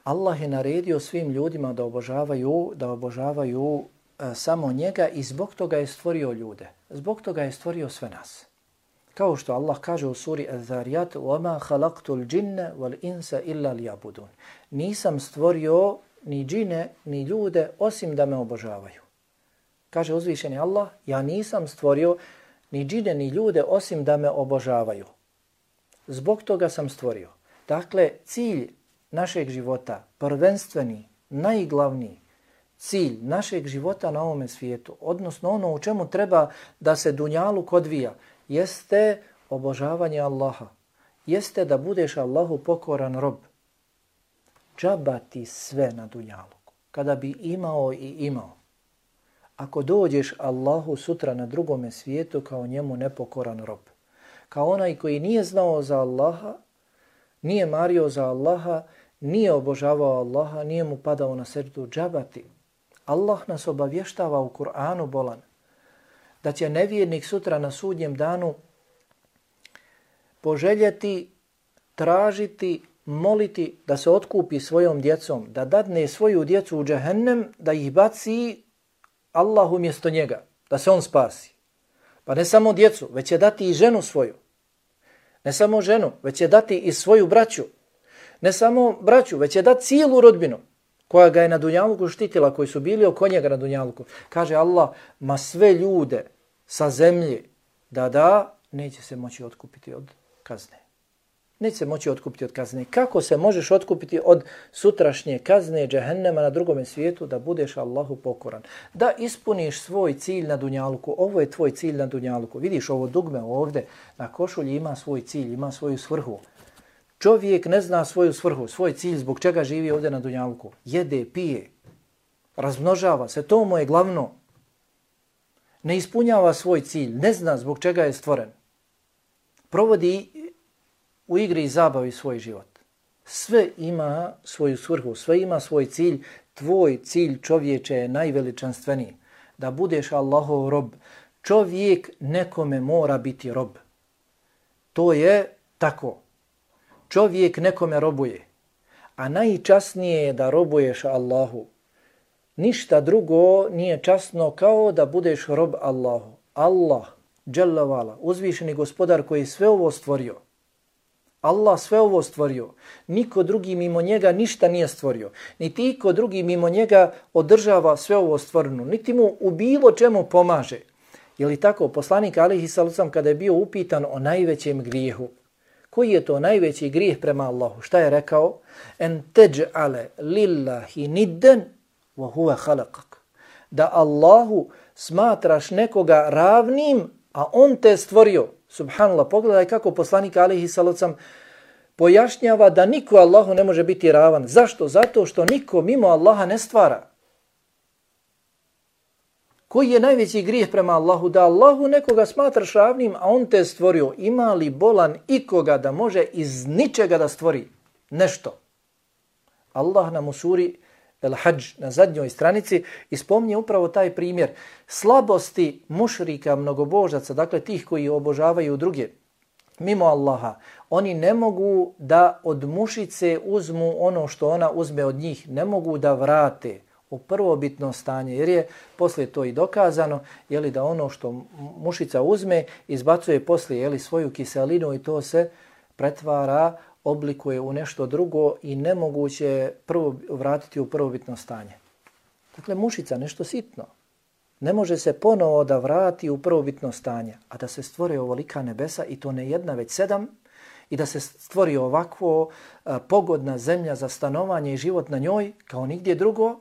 Allah je naredio svim ljudima da obožavaju, da obožavaju e, samo njega i zbog toga je stvorio ljude. Zbog toga je stvorio sve nas. Kao što Allah kaže u suri Az-Zariyat: "Wama khalaqtul jinna wal insa illa liya'budun." Nisam stvorio ni džine ni ljude osim da me obožavaju. Kaže uzvišeni Allah: ja nisam stvorio ni džine ni ljude osim da me obožavaju. Zbog toga sam stvorio. Dakle, cilj našeg života, prvenstveni, najglavniji cilj našeg života na ovome svijetu, odnosno ono u čemu treba da se dunjaluk odvija, jeste obožavanje Allaha. Jeste da budeš Allahu pokoran rob. Džaba ti sve na dunjaluku. Kada bi imao i imao. Ako dođeš Allahu sutra na drugome svijetu kao njemu nepokoran rob. Kao onaj koji nije znao za Allaha, nije mario za Allaha, nije obožavao Allaha, nije mu padao na seždu, džaba ti. Allah nas obavještava u Kur'anu bolan da će nevjernik sutra na sudnjem danu poželjeti, tražiti, moliti da se otkupi svojom djecom, da dadne svoju djecu u džehennem, da ih baci Allah umjesto njega, da se on spasi. Pa ne samo djecu, već će dati i ženu svoju. Ne samo ženu, već će dati i svoju braću. Ne samo braću, već će dati cijelu rodbinu koja ga je na dunjaluku štitila, koji su bili oko njega na dunjaluku. Kaže Allah, ma sve ljude sa zemlje da da, neće se moći otkupiti od kazne. Neće se moći otkupiti od kazne. Kako se možeš otkupiti od sutrašnje kazne džehennema na drugome svijetu? Da budeš Allahu pokoran. Da ispuniš svoj cilj na dunjaluku. Ovo je tvoj cilj na dunjaluku. Vidiš ovo dugme ovdje na košulji ima svoj cilj, ima svoju svrhu. Čovjek ne zna svoju svrhu, svoj cilj, zbog čega živi ovdje na dunjaluku. Jede, pije, razmnožava se, to mu je glavno. Ne ispunjava svoj cilj, ne zna zbog čega je stvoren. Provodi u igri i zabavi svoj život. Sve ima svoju svrhu, sve ima svoj cilj. Tvoj cilj, čovječe, je najveličanstveniji. Da budeš Allahov rob. Čovjek nekome mora biti rob. To je tako. Čovjek nekome robuje. A najčasnije je da robuješ Allahu. Ništa drugo nije časno kao da budeš rob Allahu. Allah, dželle vala, uzvišeni gospodar koji je sve ovo stvorio. Allah sve ovo stvorio. Niko drugi mimo njega ništa nije stvorio. Niti iko drugi mimo njega održava sve ovo stvoreno. Niti mu u bilo čemu pomaže. Je li tako? Poslanik alejhi salatu kada je bio upitan o najvećem grijehu. Koji je to najveći grijeh prema Allahu? Šta je rekao? En teđ'ale lillahi nidden wa huwa khalaqak. Da Allahu smatraš nekoga ravnim, a on te stvorio. Subhanallah, pogledaj kako poslanik alejhi salatu pojašnjava da niko Allahu ne može biti ravan. Zašto? Zato što niko mimo Allaha ne stvara. Koji je najveći grijeh prema Allahu? Da Allahu nekoga smatraš ravnim, a on te stvorio. Ima li bolan ikoga da može iz ničega da stvori nešto? Allah nam u suri El-Hadž na zadnjoj stranici ispomnije upravo taj primjer slabosti mušrika, mnogobožaca, dakle tih koji obožavaju druge mimo Allaha. Oni ne mogu da od mušice uzmu ono što ona uzme od njih, ne mogu da vrate. u prvobitno stanje, jer je poslije to i dokazano, je li da ono što mušica uzme, izbacuje poslije je li svoju kiselinu i to se pretvara, oblikuje u nešto drugo i nemoguće je prvo vratiti u prvobitno stanje. Dakle, mušica, nešto sitno, ne može se ponovo da vrati u prvobitno stanje, a da se stvore ovolika nebesa i to ne jedna, već sedam, i da se stvori ovakvo a, pogodna zemlja za stanovanje i život na njoj, kao nigdje drugo,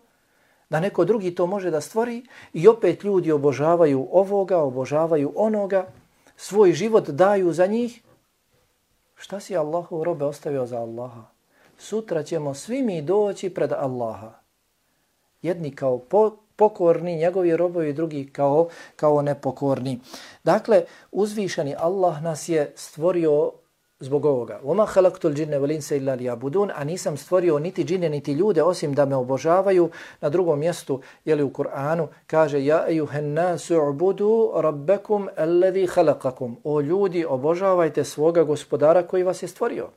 da neko drugi to može da stvori i opet ljudi obožavaju ovoga, obožavaju onoga, svoj život daju za njih. Šta si Allahu robe ostavio za Allaha? Sutra ćemo svi mi doći pred Allaha. Jedni kao po, pokorni, njegovi robovi, drugi kao, kao nepokorni. Dakle, uzvišeni Allah nas je stvorio zbog ovoga. وَمَا خَلَقْتُ الْجِنَّ وَلِنْسَ إِلَّا لِيَعْبُدُونَ, a nisam stvorio niti džine niti ljude osim da me obožavaju. Na drugom mjestu, je li u Kur'anu, kaže ja ejuhen nasu ubudu rabbakum alladhi khalaqakum. O ljudi, obožavajte svoga gospodara koji vas je stvorio.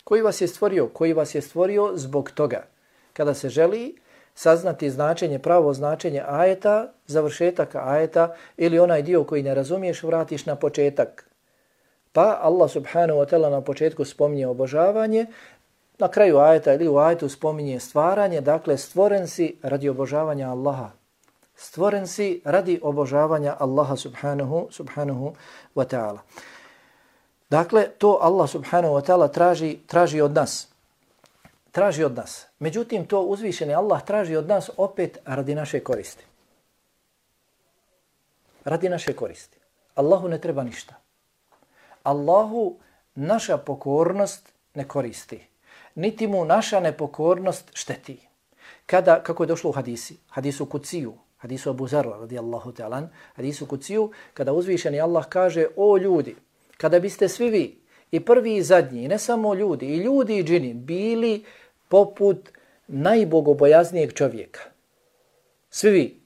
Koji vas je stvorio? Koji vas je stvorio zbog toga. Kada se želi saznati značenje, pravo značenje ajeta, završetak ajeta ili onaj dio koji ne razumiješ, vratiš na početak. Pa Allah subhanahu wa ta'ala na početku spominje obožavanje, na kraju ajeta ili u ajetu spominje stvaranje, dakle stvoren si radi obožavanja Allaha. Stvoren si radi obožavanja Allaha subhanahu, subhanahu wa ta'ala. Dakle, to Allah subhanahu wa ta'ala traži, traži od nas. Traži od nas. Međutim, to uzvišeni Allah traži od nas opet radi naše koristi. Radi naše koristi. Allahu ne treba ništa. Allahu naša pokornost ne koristi. Niti mu naša nepokornost šteti. Kada, kako je došlo u hadisi, hadisu Kuciju, hadisu Abu Zarra radijallahu ta'ala, hadisu Kuciju, kada uzvišeni Allah kaže, o ljudi, kada biste svi vi, i prvi i zadnji, i ne samo ljudi, i ljudi i džini, bili poput najbogobojaznijeg čovjeka. Svi vi,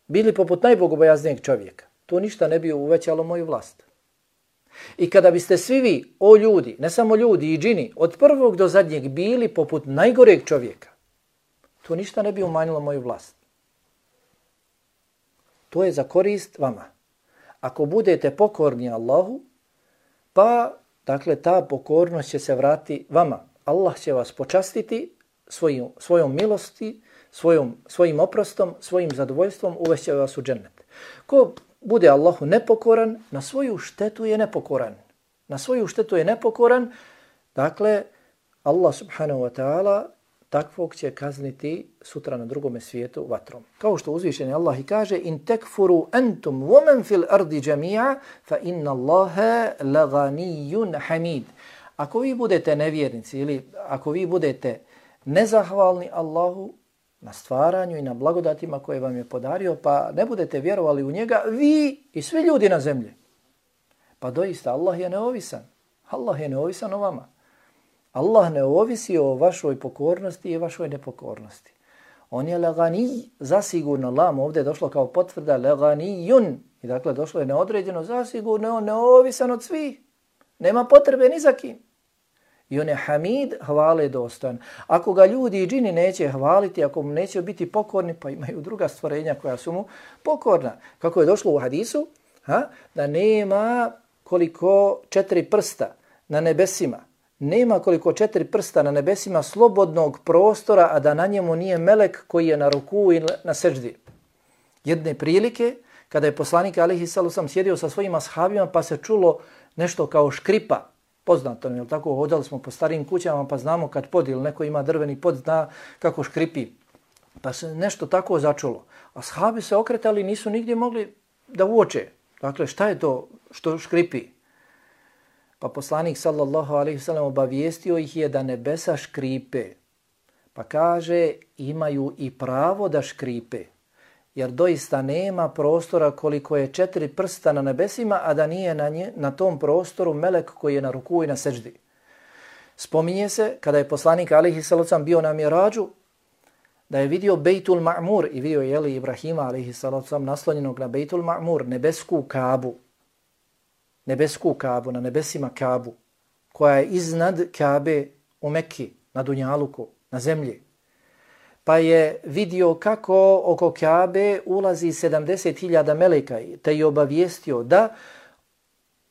bili poput najbogobojaznijeg čovjeka. To ništa ne bi uvećalo moju vlast. I kada biste svi vi, o ljudi, ne samo ljudi i džini, od prvog do zadnjeg bili poput najgoreg čovjeka, to ništa ne bi umanjilo moju vlast. To je za korist vama. Ako budete pokorni Allahu, pa, dakle, ta pokornost će se vrati vama. Allah će vas počastiti svojim, svojom milosti, svojom, svojim oprostom, svojim zadovoljstvom, uvešće vas u džennet. Ko bude Allahu nepokoran, na svoju štetu je nepokoran. Na svoju štetu je nepokoran, dakle, Allah subhanahu wa ta'ala takvog će kazniti sutra na drugome svijetu vatrom. Kao što uzvišeni Allah i kaže, in tekfuru antum woman fil ardi jami'a fa inna Allaha laganiyun hamid. Ako vi budete nevjernici ili ako vi budete nezahvalni Allahu na stvaranju i na blagodatima koje vam je podario, pa ne budete vjerovali u njega, vi i svi ljudi na zemlji. Pa doista Allah je neovisan. Allah je neovisan o vama. Allah ne ovisi o vašoj pokornosti i vašoj nepokornosti. On je lagani, zasigurno, lam ovdje je došlo kao potvrda, laganijun. I dakle došlo je neodređeno, zasigurno on neovisan od svih. Nema potrebe ni za kim. I on je hamid, hvale dostojan. Ako ga ljudi i džini neće hvaliti, ako mu neće biti pokorni, pa imaju druga stvorenja koja su mu pokorna. Kako je došlo u hadisu, ha? Da nema koliko četiri prsta na nebesima. Nema koliko četiri prsta na nebesima slobodnog prostora, a da na njemu nije melek koji je na ruku i na seždi. Jedne prilike, kada je poslanik alejhi salatu vesselam sjedio sa svojim ashabima, pa se čulo nešto kao škripa. Poznato, je li tako? Hodali smo po starim kućama, pa znamo kad pod ili neko ima drveni pod, zna kako škripi. Pa se nešto tako začulo. Ashabi se okretali, nisu nigdje mogli da uoče. Dakle, šta je to što škripi? Pa poslanik sallallahu alejhi ve sellem obavijestio ih je da nebesa škripe. Pa kaže, imaju i pravo da škripe. Jer doista nema prostora koliko je četiri prsta na nebesima, a da nije na, nje, na tom prostoru melek koji je na ruku i na seždi. Spominje se, kada je poslanik alejhi salatu vesselam bio na Mirađu, da je vidio Bejtul Ma'mur i vidio je li Ibrahima alejhi salatu vesselam naslonjenog na Bejtul Ma'mur, nebesku Kabu. Nebesku Kabu, na nebesima Kabu, koja je iznad Kabe u Mekki, na Dunjaluku, na zemlji. pa je vidio kako oko Kabe ulazi sedamdeset hiljada meleka, te je obavijestio da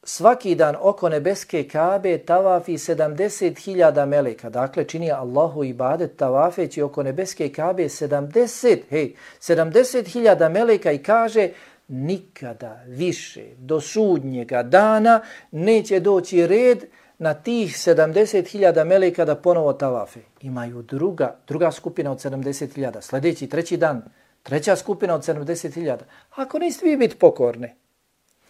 svaki dan oko nebeske Kabe tavafi sedamdeset hiljada meleka. Dakle, čini Allahu ibadet tavafeći oko nebeske Kabe sedamdeset, hej, sedamdeset hiljada meleka i kaže nikada više do sudnjega dana neće doći red na tih sedamdeset hiljada meleka da ponovo tavafe. Imaju druga, druga skupina od sedamdeset hiljada. Sljedeći, treći dan, treća skupina od sedamdeset hiljada. Ako niste vi biti pokorni,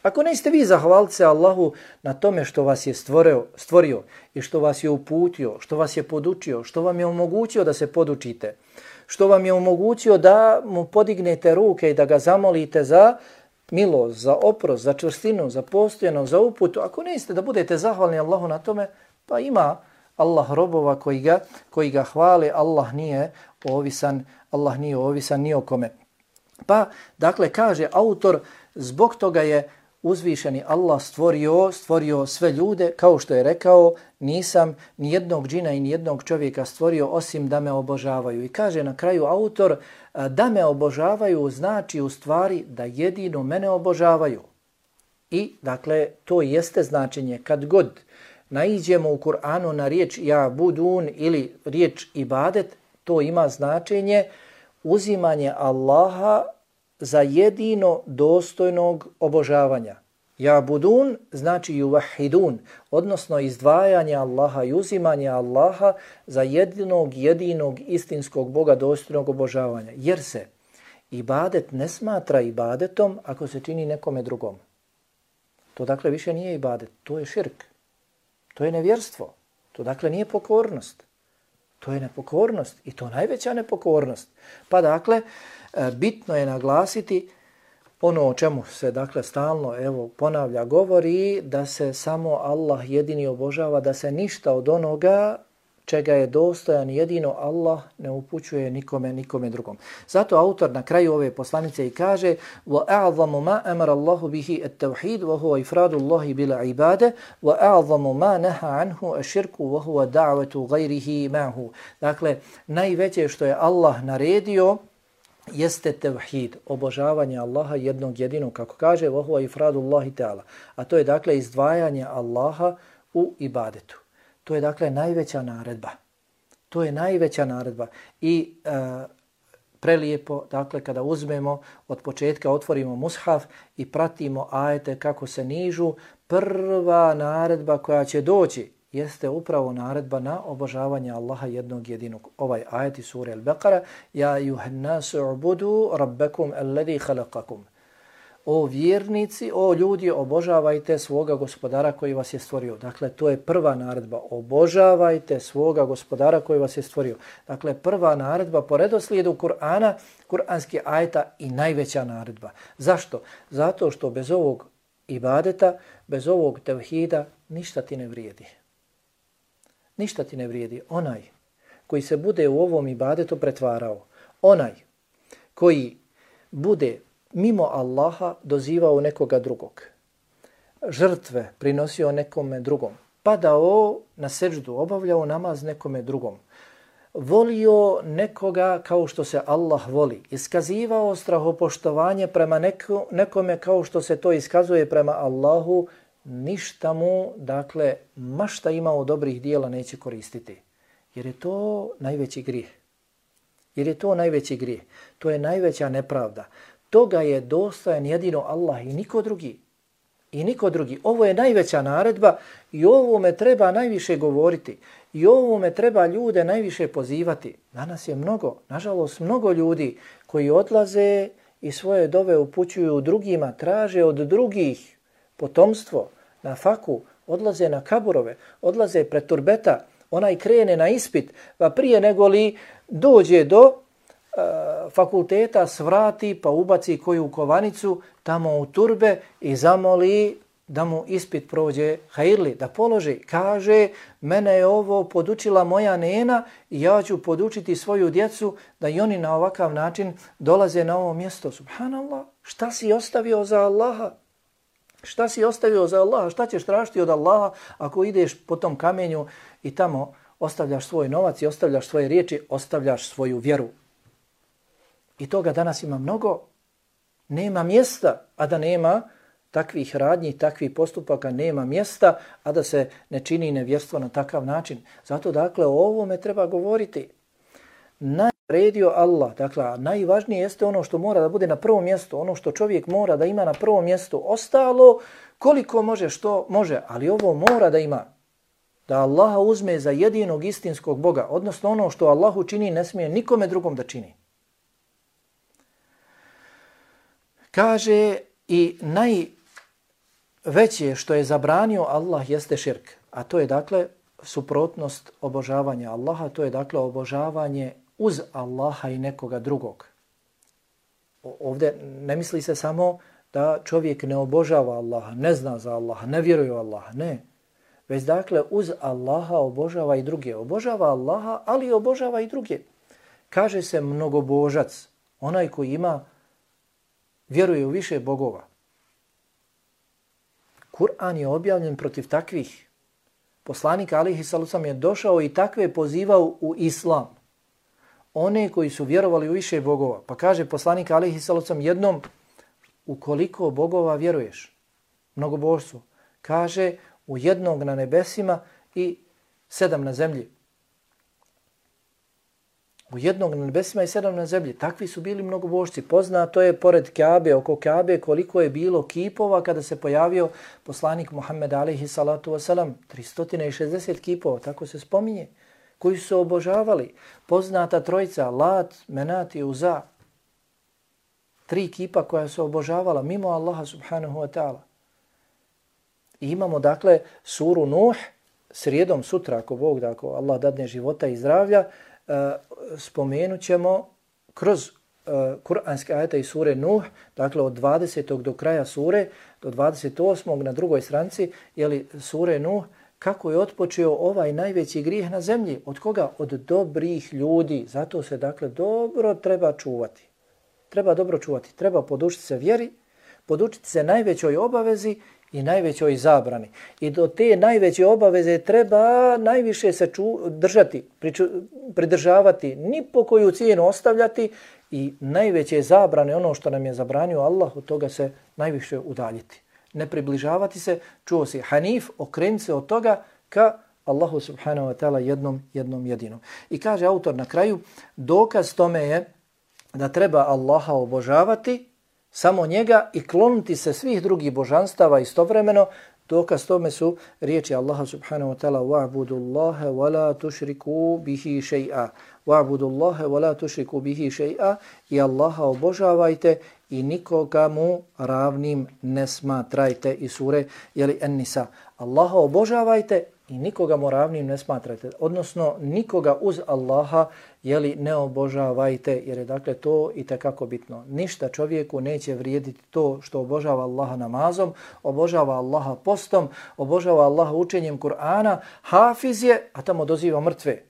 ako niste vi zahvaliti se Allahu na tome što vas je stvorio, stvorio i što vas je uputio, što vas je podučio, što vam je omogućio da se podučite, što vam je omogućio da mu podignete ruke i da ga zamolite za milost, za oprost, za čvrstinu, za postojanost, za uputu. Ako niste da budete zahvalni Allahu na tome, pa ima Allah robova koji ga, koji ga hvale, Allah nije ovisan, Allah nije ovisan ni o kome. Pa, dakle, kaže autor, zbog toga je uzvišeni Allah stvorio, stvorio sve ljude, kao što je rekao, nisam ni jednog džina i ni jednog čovjeka stvorio osim da me obožavaju. I kaže na kraju autor, da me obožavaju znači u stvari da jedino mene obožavaju. I dakle, to jeste značenje kad god naiđemo u Kur'anu na riječ ja budun ili riječ ibadet, to ima značenje uzimanje Allaha za jedino dostojnog obožavanja. Ja budun znači yuvahidun, odnosno izdvajanje Allaha i uzimanje Allaha za jedinog, jedinog istinskog Boga dostojnog obožavanja. Jer se ibadet ne smatra ibadetom ako se čini nekome drugom. To dakle više nije ibadet, to je širk, to je nevjerstvo, to dakle nije pokornost. To je nepokornost i to najveća nepokornost. Pa dakle, bitno je naglasiti ono o čemu se dakle stalno evo ponavlja, govori da se samo Allah jedini obožava, da se ništa od onoga čega je dostojan jedino Allah ne upućuje nikome, nikome drugom. Zato autor na kraju ove poslanice i kaže وَأَعْظَمُ مَا أَمَرَ اللَّهُ بِهِ التَّوْحِيدُ وَهُوَ إِفْرَادُ اللَّهِ بِالْعِبَادَ وَأَعْظَمُ مَا نَهَا عَنْهُ الشِّرْكُ وَهُوَ دَعْوَةُ غَيْرِهِ مَعْهُ. Dakle, najveće što je Allah naredio jeste tevhid, obožavanje Allaha jednog jedinog, kako kaže وَهُوَ إِفْرَادُ اللَّهِ تَعَالَى. A to je dakle izdvajanje Allaha u ibadetu. To je dakle najveća naredba. To je najveća naredba. I e, prelijepo, dakle, kada uzmemo od početka, otvorimo mushaf i pratimo ajete kako se nižu, prva naredba koja će doći jeste upravo naredba na obožavanje Allaha jednog jedinog. Ovaj ajet iz sure Al-Baqara, ja juhannasu ubudu rabbakum alladhi khalaqakum. O vjernici, o ljudi, obožavajte svoga gospodara koji vas je stvorio. Dakle, to je prva naredba. Obožavajte svoga gospodara koji vas je stvorio. Dakle, prva naredba po redoslijedu Kur'ana, kur'anski ajeta i najveća naredba. Zašto? Zato što bez ovog ibadeta, bez ovog tevhida, ništa ti ne vrijedi. Ništa ti ne vrijedi. Onaj koji se bude u ovom ibadetu pretvarao, onaj koji bude mimo Allaha dozivao nekoga drugog, žrtve prinosio nekome drugom, padao na seždu, obavljao namaz nekome drugom, volio nekoga kao što se Allah voli, iskazivao strahopoštovanje prema neko, nekome kao što se to iskazuje prema Allahu, ništa mu, dakle, mašta imao dobrih dijela neće koristiti. Jer je to najveći grijeh. Jer je to najveći grijeh. To je najveća nepravda. Toga je dostojan jedino Allah i niko drugi. I niko drugi. Ovo je najveća naredba i ovome treba najviše govoriti. I ovome treba ljude najviše pozivati. Danas je mnogo, nažalost mnogo ljudi koji odlaze i svoje dove upućuju drugima, traže od drugih potomstvo, na faku, odlaze na kaburove, odlaze pred turbeta, onaj krene na ispit, pa prije nego li dođe do uh, fakulteta, svrati pa ubaci koju kovanicu tamo u turbe i zamoli da mu ispit prođe hajirli, da položi. Kaže, mene je ovo podučila moja nena i ja ću podučiti svoju djecu da i oni na ovakav način dolaze na ovo mjesto. Subhanallah, šta si ostavio za Allaha? Šta si ostavio za Allaha? Šta ćeš tražiti od Allaha ako ideš po tom kamenju i tamo ostavljaš svoj novac i ostavljaš svoje riječi, ostavljaš svoju vjeru? I toga danas ima mnogo. Nema mjesta, a da nema takvih radnji, takvih postupaka, nema mjesta, a da se ne čini nevjerstvo na takav način. Zato dakle o ovome treba govoriti. Naredio Allah, dakle najvažnije jeste ono što mora da bude na prvom mjestu, ono što čovjek mora da ima na prvom mjestu. Ostalo koliko može, što može, ali ovo mora da ima. Da Allaha uzme za jedinog istinskog Boga, odnosno ono što Allahu čini ne smije nikome drugom da čini. Kaže i najveće što je zabranio Allah jeste širk, a to je dakle suprotnost obožavanja Allaha, to je dakle obožavanje uz Allaha i nekoga drugog. Ovdje ne misli se samo da čovjek ne obožava Allaha, ne zna za Allaha, ne vjeruje u Allaha, ne. Već dakle uz Allaha obožava i druge. Obožava Allaha, ali obožava i druge. Kaže se mnogobožac, onaj koji ima, vjeruje u više bogova. Kur'an je objavljen protiv takvih. Poslanik alejhi salatu vesselam je došao i takve pozivao u islam. One koji su vjerovali u više bogova. Pa kaže poslanik alejhi salatu vesselam jednom, u koliko bogova vjeruješ? Mnogobožstvu. Kaže u jednog na nebesima i sedam na zemlji. U jednog na nebesima i sedam na zemlji. Takvi su bili mnogobožci. Poznato je pored Kabe, oko Kabe, koliko je bilo kipova kada se pojavio poslanik Muhammed alejhi salatu vesselam. tristo šezdeset kipova, tako se spominje, koji su obožavali. Poznata trojica, Lat, Menat i Uza. Tri kipa koja su obožavala mimo Allaha subhanahu wa ta'ala. I imamo dakle suru Nuh, srijedom sutra, ako Bog da, ako Allah dadne života i zdravlja, uh, spomenut ćemo kroz uh, kuranske ajete i sure Nuh, dakle od dvadesetog do kraja sure, do dvadeset osmog na drugoj stranici, jeli sure Nuh, kako je otpočeo ovaj najveći grijeh na zemlji. Od koga? Od dobrih ljudi. Zato se dakle dobro treba čuvati. Treba dobro čuvati. Treba podučiti se vjeri, podučiti se najvećoj obavezi i najvećoj zabrani. I do te najveće obaveze treba najviše se ču, držati, priču, pridržavati, ni po koju cijenu ostavljati i najveće zabrane, ono što nam je zabranio Allah, od toga se najviše udaljiti. Ne približavati se, čuo si Hanif, okrenuti se od toga ka Allahu subhanahu wa ta'ala jednom, jednom jedinom. I kaže autor na kraju, dokaz tome je da treba Allaha obožavati, samo njega i kloniti se svih drugih božanstava istovremeno. Dokaz tome su riječi Allaha subhanahu wa ta'ala wa'budu Allahe wa la tušriku bihi še'a. Wa'budu Allahe wa la tušriku bihi še'a i Allaha obožavajte i nikoga mu ravnim ne smatrajte. I sure jeli En-Nisa. Allaha obožavajte i nikoga mu ravnim ne smatrajte. Odnosno nikoga uz Allaha jeli ne obožavajte, jer je dakle to i tekako bitno. Ništa čovjeku neće vrijediti to što obožava Allaha namazom, obožava Allaha postom, obožava Allaha učenjem Kur'ana, hafiz je, a tamo doziva mrtve.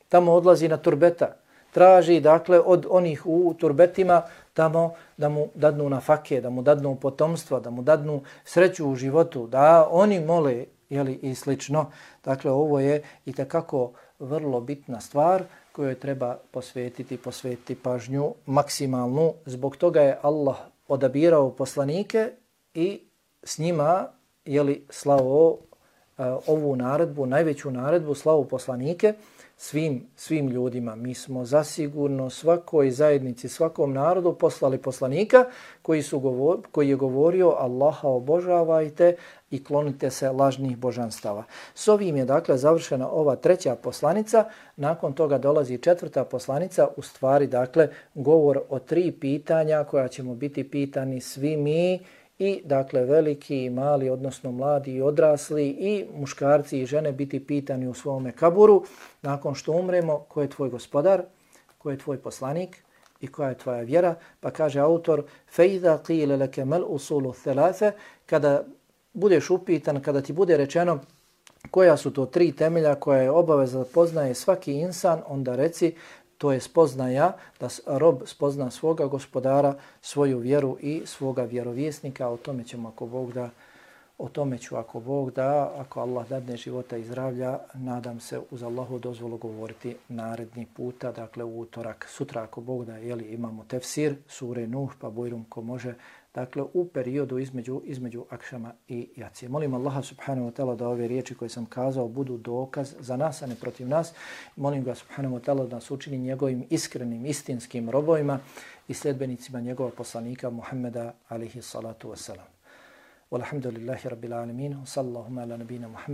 Tamo odlazi na turbeta. Traži dakle od onih u turbetima tamo da mu dadnu nafake, da mu dadnu potomstva, da mu dadnu sreću u životu, da oni mole jeli, i slično. Dakle, ovo je i tekako vrlo bitna stvar kojoj treba posvetiti, posvetiti pažnju maksimalnu. Zbog toga je Allah odabirao poslanike i s njima jeli, slao uh, ovu naredbu, najveću naredbu, slao poslanike svim, svim ljudima. Mi smo zasigurno svakoj zajednici, svakom narodu poslali poslanika koji, su govor, koji je govorio Allaha obožavajte i klonite se lažnih božanstava. S ovim je dakle završena ova treća poslanica, nakon toga dolazi četvrta poslanica, u stvari dakle govor o tri pitanja koja ćemo biti pitani svi mi i dakle veliki i mali, odnosno mladi i odrasli i muškarci i žene biti pitani u svome kaburu nakon što umremo, ko je tvoj gospodar, ko je tvoj poslanik i koja je tvoja vjera. Pa kaže autor فَإِذَا قِيلَ لَكَ مَلْ أُصُولُ الثَّلَاثَ, kada budeš upitan, kada ti bude rečeno koja su to tri temelja koja je obaveza da poznaje svaki insan, onda reci to je spoznaja da rob spozna svoga gospodara, svoju vjeru i svoga vjerovjesnika. O tome ćemo ako Bog da O tome ću, ako Bog da, ako Allah dadne života i zdravlja, nadam se uz Allahu dozvolu govoriti naredni puta, dakle u utorak. Sutra, ako Bog da, jeli, imamo tefsir, sure Nuh, pa Bujrum ko može, dakle u periodu između, između akšama i jacije. Molim Allaha subhanahu wa ta'ala da ove riječi koje sam kazao budu dokaz za nas, a ne protiv nas. Molim ga subhanahu wa ta'ala da nas učini njegovim iskrenim, istinskim robovima i sljedbenicima njegova poslanika Muhammeda alihi salatu wasalam. Walhamdulillahi rabbil alamin. Sallallahu ala nabina Muhammad.